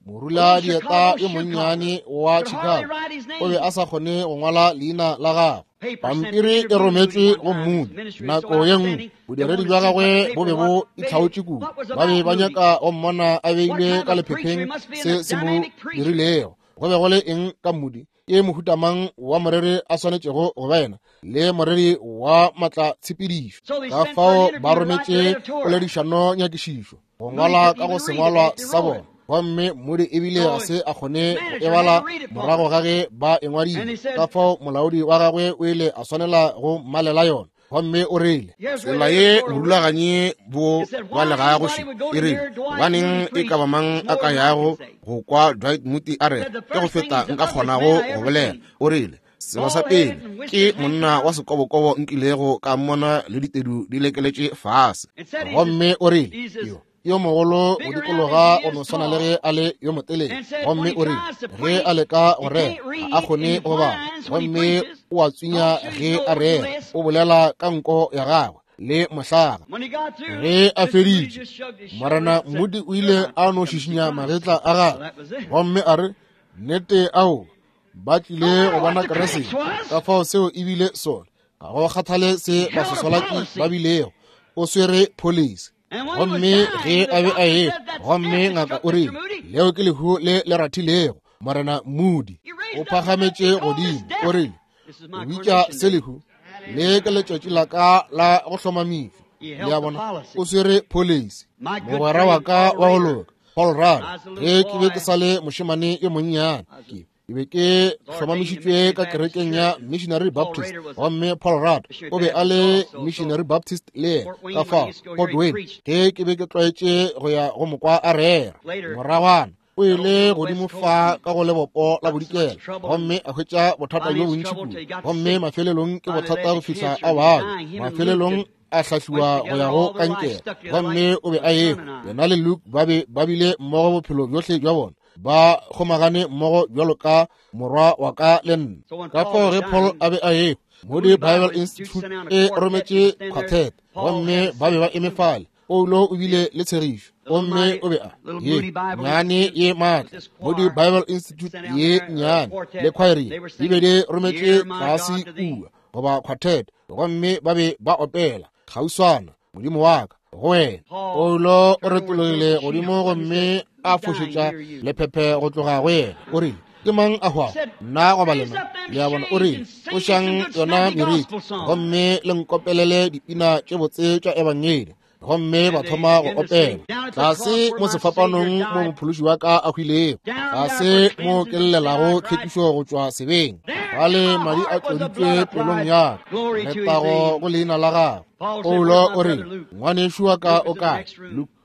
morula dieta yo monnyane wa Chicago o be a sa kgone go ngwala leina la gagwe. Pampiri e rometšwe go Moody nako ye nngwe. Bodiredi bja gagwe bo be bo itlhaotše kudu, ba be ba nyaka go mmona a beilwe ka lephepheng se se mo dirilego. Go be go le eng ka Moody? Ke mohuta mang wa moreri a swanetšego go ba yena, le moreri wa matlatshepedišo. Ka fao ba rometše poledišano nyakišišo go ngwala ka go sengwalwa sa bona, gomme Moody ebile ga se a kgone go e bala morago ga ge ba e ngwadile. Ka fao molaodi wa gagwe o ile a swanela go mmalela yona, gomme o rile, Tsela ye borulaganyi bo balegago še, e rile, gobaneng e ka ba mang a ka yago go kwa Dwight Moody a re, ke go feta nka kgonago go bolela. O rile, Selo sa pele, ke monna wa sekobokobo nkilego ka mmona le ditedu di lekeletše fase. Gomme o rile, yo yo mogolo go dikologa go no swana le ge a le yo motelele. Gomme o rile, ge a leka go rera, ga a kgone go bala, gomme o a tswinya ge a rera, o bolela ka nko ya gagwe le mohlaga. Ge a feditše, Morena Moody o ile a no šišinya magetla a gagwe, gomme a re, Nnete ao, ba tlile go bona Kriste. Ka fao seo e bile sona. Ga go kgathale se basoswalaki ba bilego, o swere pholisi. Gomme ge a be a e, gomme ngaka o rile, leo ke lehu le le rathilego Morena Moody. O phagametše godimo, o rile, o bitša se lehu? Le ke letšatši la ka la go hlomamišwa. Le a bona, o swere pholisi. Mogwera wa ka wa go loka, Paul Rudd, ge ke be ke sa le mošemane yo monnyane, ke be ke hlomamišitšwe ka kerekeng ya Missionary Baptist, gomme Paul Rudd o be a le Missionary Baptist le yena. Ka fao Fort Wayne, ge ke be ke tlwaetše go ya go mokwa a rera, moragwana o ile godimo fa ka go lebopo la bodikela, gomme a hwetša bothata bjo bontši kudu, gomme mafelelong ke bothata go fihla a babja, mafelelong a hlahliwa go ya go kankere, gomme o be a ehwa. Yena le Luke ba be ba bile mmogo bophelo bjohle bja bona, ba kgomagane mmogo bjalo ka morwa wa ka le nna. Ka fao ge Paul a be a ehwa, Moody Bible Institute e rometše quartet, gomme ba be ba eme fale. Paulo o bile le tshegišo, gomme o be a ye nyane ye maatla. Moody Bible Institute ye nyane le choir di be di rometše tlase kua, goba quartet, gomme ba be ba opela kgauswana, Modimo wa ka go wena. Paulo o retologile godimo gomme a fošetša lephephe go tloga go yena. O rile, ke mang a hwago, nna goba lena? Le a bona? O rile, tlošang yona meriti gomme le nkopelele dipina tše botse tša ebangedi. Gomme ba thoma go opela, tlase mo sefapanong mo mophološi wa ka a hwilego, tlase mo ke llelago tlhwekišo go tšwa sebeng, fale madi a tloditšwe pelong ya ka, letago go leina la gagwe. Paulo o rile, ngwanešu wa ka o kae?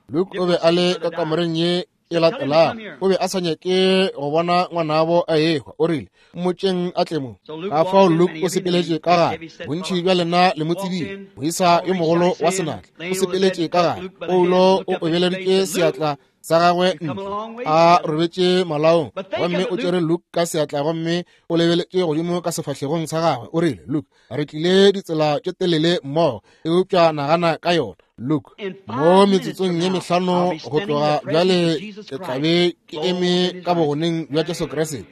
Luke o be a le ka kamoreng ye e latelago, o be a sa nyake go bona ngwanabo a ehwa. O rile, mmotšeng a tle mo. Ka fao Luke o sepeletše ka gare. Bontši bja lena le mo tsebile, moisa yo mogolo wa senatla, o sepeletše ka gare. Paulo o obeleditše seatla sa gagwe ntle, a robetše malaong, gomme o tšere Luke ka seatla gomme o lebeletše godimo ka sefahlegong sa gagwe. O rile, Luke, re tlile ditsela tše telele mmogo, eupša nagana ka yona, Luke, mo metsotsong ye mehlano go tloga bjale ke tla be ke eme ka bogoneng bja Jesu Kriste,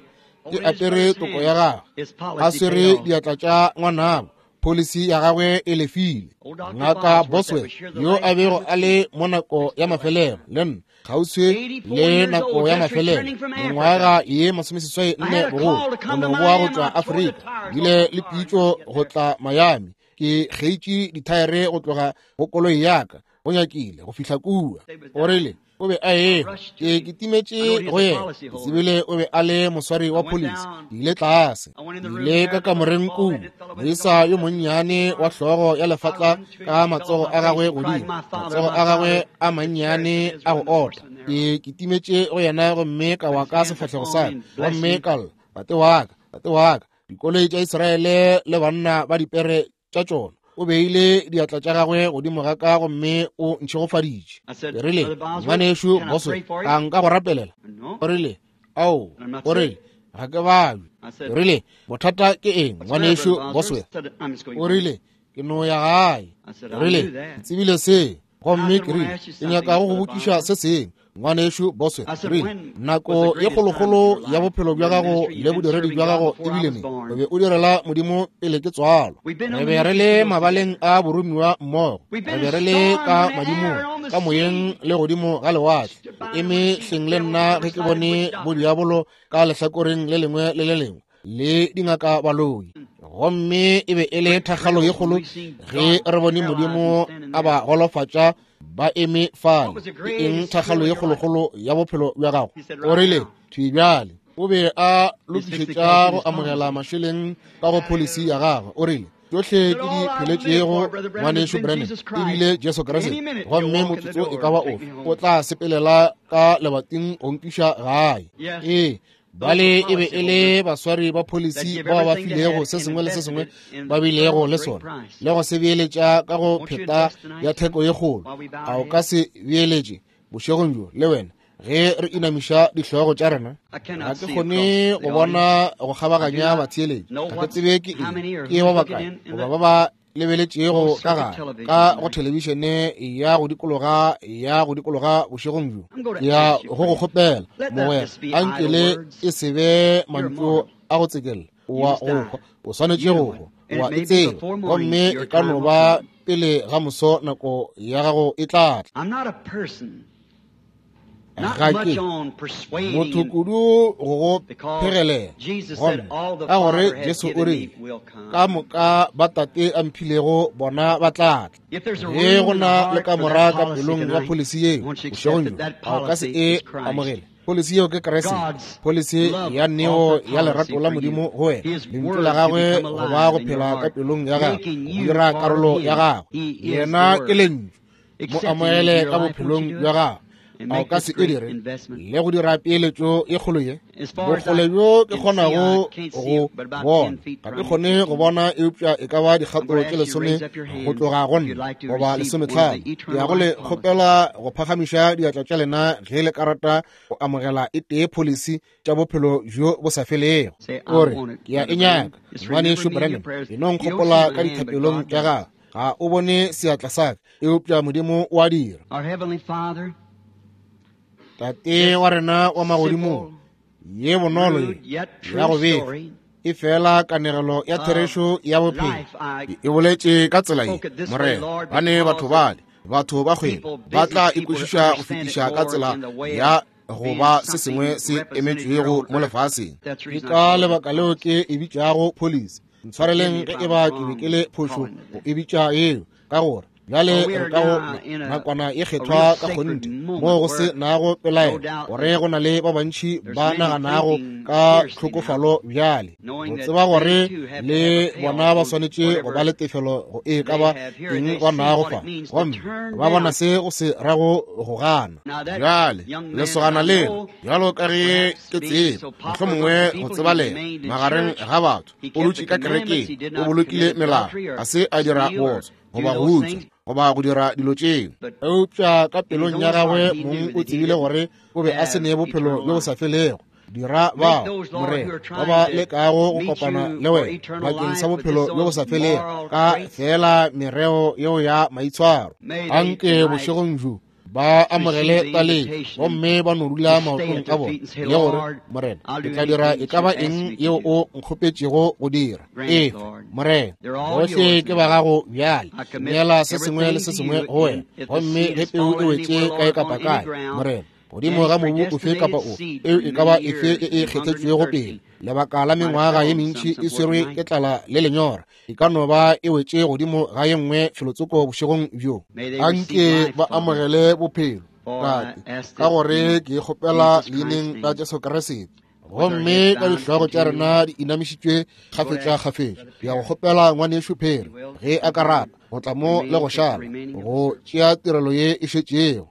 ke apere toko ya gagwe, a swere diatla tša ngwanabo, pholisi ya gagwe e lefile. Ngaka Boswell, yo a bego a le mo nako ya mafelelo le nna, kgauswi le nako ya mafelelo, mengwaga ye 84 bogolo, go no boa go tšwa Afrika, bile le pitšo go tla Miami. Ke kgeitše dithaere go tloga go koloi ya ka, go nyakile go fihla kua. O rile o be a ehwa, ke kitimetše go yena, ke tsebile o be a le moswari wa pholisi. Ke ile tlase, ke ile ka kamoreng kua, moisa yo monnyane wa hlogo ya lefatla ka matsogo a gagwe godimo, matsogo a gagwe a mannyane a go ota. Ke kitimetše go yena gomme ka wa ka sefahlego sa ka, gomme ka lla, Tate wa ka, tate wa ka, dikoloi tša Israele le banna ba dipere tša tšona. O beile diatla tša gagwe godimo ga ka gomme o ntšhegofaditše. Ke rile, ngwanešu Boswell, a nka go rapelela? O rile, ao, o rile, ga ke babje. Ke rile, bothata ke eng, ngwanešu Boswell? O rile, ke no ya gae. Ke rile, ke tsebile se. Gomme ke rile, ke nyaka go go botšiša se sengwe, ngwanešu Boswell. Ke rile, nako ye kgolokgolo ya bophelo bja gago le bodiredi bja gago e bile neng? O be o direla Modimo pele ke tswalwa. Re be re le mabaleng a boromiwa mmogo, re be re le ka madimong, ka moyeng le godimo ga lewatle. O eme hleng le nna ge ke bone bodiabolo ka lehlakoreng le lengwe le le lengwe. le dingaka baloi. Gomme e be e le thakgalo ye kgolo ge re bone Modimo a ba golofatša ba eme fale. Ke eng thakgalo ye kgolokgolo ya bophelo bja gago? O rile, thwi bjale. O be a lokišetša go amogela mašeleng ka go pholisi ya gagwe. O rile, tšohle ke di pheletšego, ngwanešu Branham, e bile Jesu Kriste, gomme motsotso e ka ba ofe o tla sepelela ka lebating go nkiša gae. Ee, bale e be e le baswari ba pholisi bao ba filego se sengwe le se sengwe ba bilego le sona, le go se beeletša ka go pheta ya theko ye kgolo. A o ka se beeletše bošegong bjo le wena ge re inamiša dihlogo tša rena? Ga ke kgone go bona go kgabaganya batheeletši. Ga ke tsebe ke eng, ke ba bakae goba ba ba lebeletšego ka gare ka go thelebišene ya go dikologa ya go dikologa bošegong bjo. Ke ya go go kgopela, mogwera, a nke le e se be mantšu a go tsekella. Wa go hwa, o swanetše go hwa, wa e tseba, gomme e ka no ba pele ga moso nako ya gago e tla tla. Ga ke motho kudu go go phegelela, gomme ka gore Jesu o rile, ka moka ba Tate a mphilego bona ba tla tla. Ge go na le kamora ka pelong ya pholisi yeo bošegong bjo, a o ka se e amogele? Pholisi yeo ke Kriste, pholisi ya neo ya lerato la Modimo go wena, lentšu la gagwe go ba go phela ka pelong ya gago, go dira karolo ya gagwe. Yena ke lentšu. Mo amoele ka bophelong bja gago. A o ka se e dire le go dira peeletšo e kgolo ye? Bokgole bjo ke kgonago go bona, ga ke kgone go bona eupša e ka ba dikgato tše 10 go tloga go nna, goba 15. Ke ya go le kgopela go phagamiša diatla tša lena ge le ka rata go amogela e tee pholisi tša bophelo bjo bo sa felego. O re, ke ya e nyaka, ngwanešu Branham. E no nkgopola ka dithapelong tša gago. Ga o bone seatla sa ka, eupša Modimo o a dira. Tate wa rena wa magodimong, ye bonolo ye ya go befa e fela kanegelo ya therešo ya bophelo e boletše ka tsela ye, Morena, bane batho bale, batho ba kgwebo, ba tla ikwešiša go fetiša ka tsela ya go ba se sengwe se emetšwego mo lefaseng. Ke ka lebaka leo ke e bitšago pholisi. Ntshwareleng ge e ba ke be ke le phošo go e bitša yeo, ka gore bjale re ka go nakwana e kgethwa ka kgonthe moo go se nago pelaelo gore go na le ba bantši ba naganago ka tlhokofalo bjale, go tseba gore le bona ba swanetše go ba le tefelo go e ka ba eng ba nago fa, gomme ba bona se go se rago go gana. Bjale lesogana lena, bjalo ka ge ke tseba, mohlomongwe go tsebalega magareng ga batho, o dutše ka kerekeng, o bolokile melao, ga se a dira bootswa goba go utswa goba go dira dilo tšeo, eupša ka pelong ya gagwe mong o tsebile gore o be a se ne bophelo bjo bo sa felego. Dira bao, Morena, ba ba lekago go kopana le wena bakeng sa bophelo bjo bo sa felego ka feela mereo yeo ya maitshwaro. Anke bošegong bjo ba amogele taletšo gomme ba no dula maotong a bona le gore, Morena, ke tla dira e ka ba eng yeo o nkgopetšego go dira. Efa, Morena, bohle ke ba gago bjale. Neela se sengwe le se sengwe go wena. Gomme ge peu e wetše kae kapa kae, Morena, godimo ga mobu ofe kapa ofe, peu e ka ba efe e e kgethetšwego pele, lebaka la mengwaga ye mentši e swerwe ke tlala le lenyora, e ka no ba e wetše godimo ga ye nngwe felotsoko bošegong bjo. Anke ba amogele bophelo, Tate, ka gore ke kgopela leineng la Jesu Kriste. Gomme ka dihlogo tša rena di inamišitšwe kgafetša-kgafetša, ke ya go kgopela ngwanešu Perry ge a ka rata go tla mo le go šala go tšea tirelo ye e šetšego.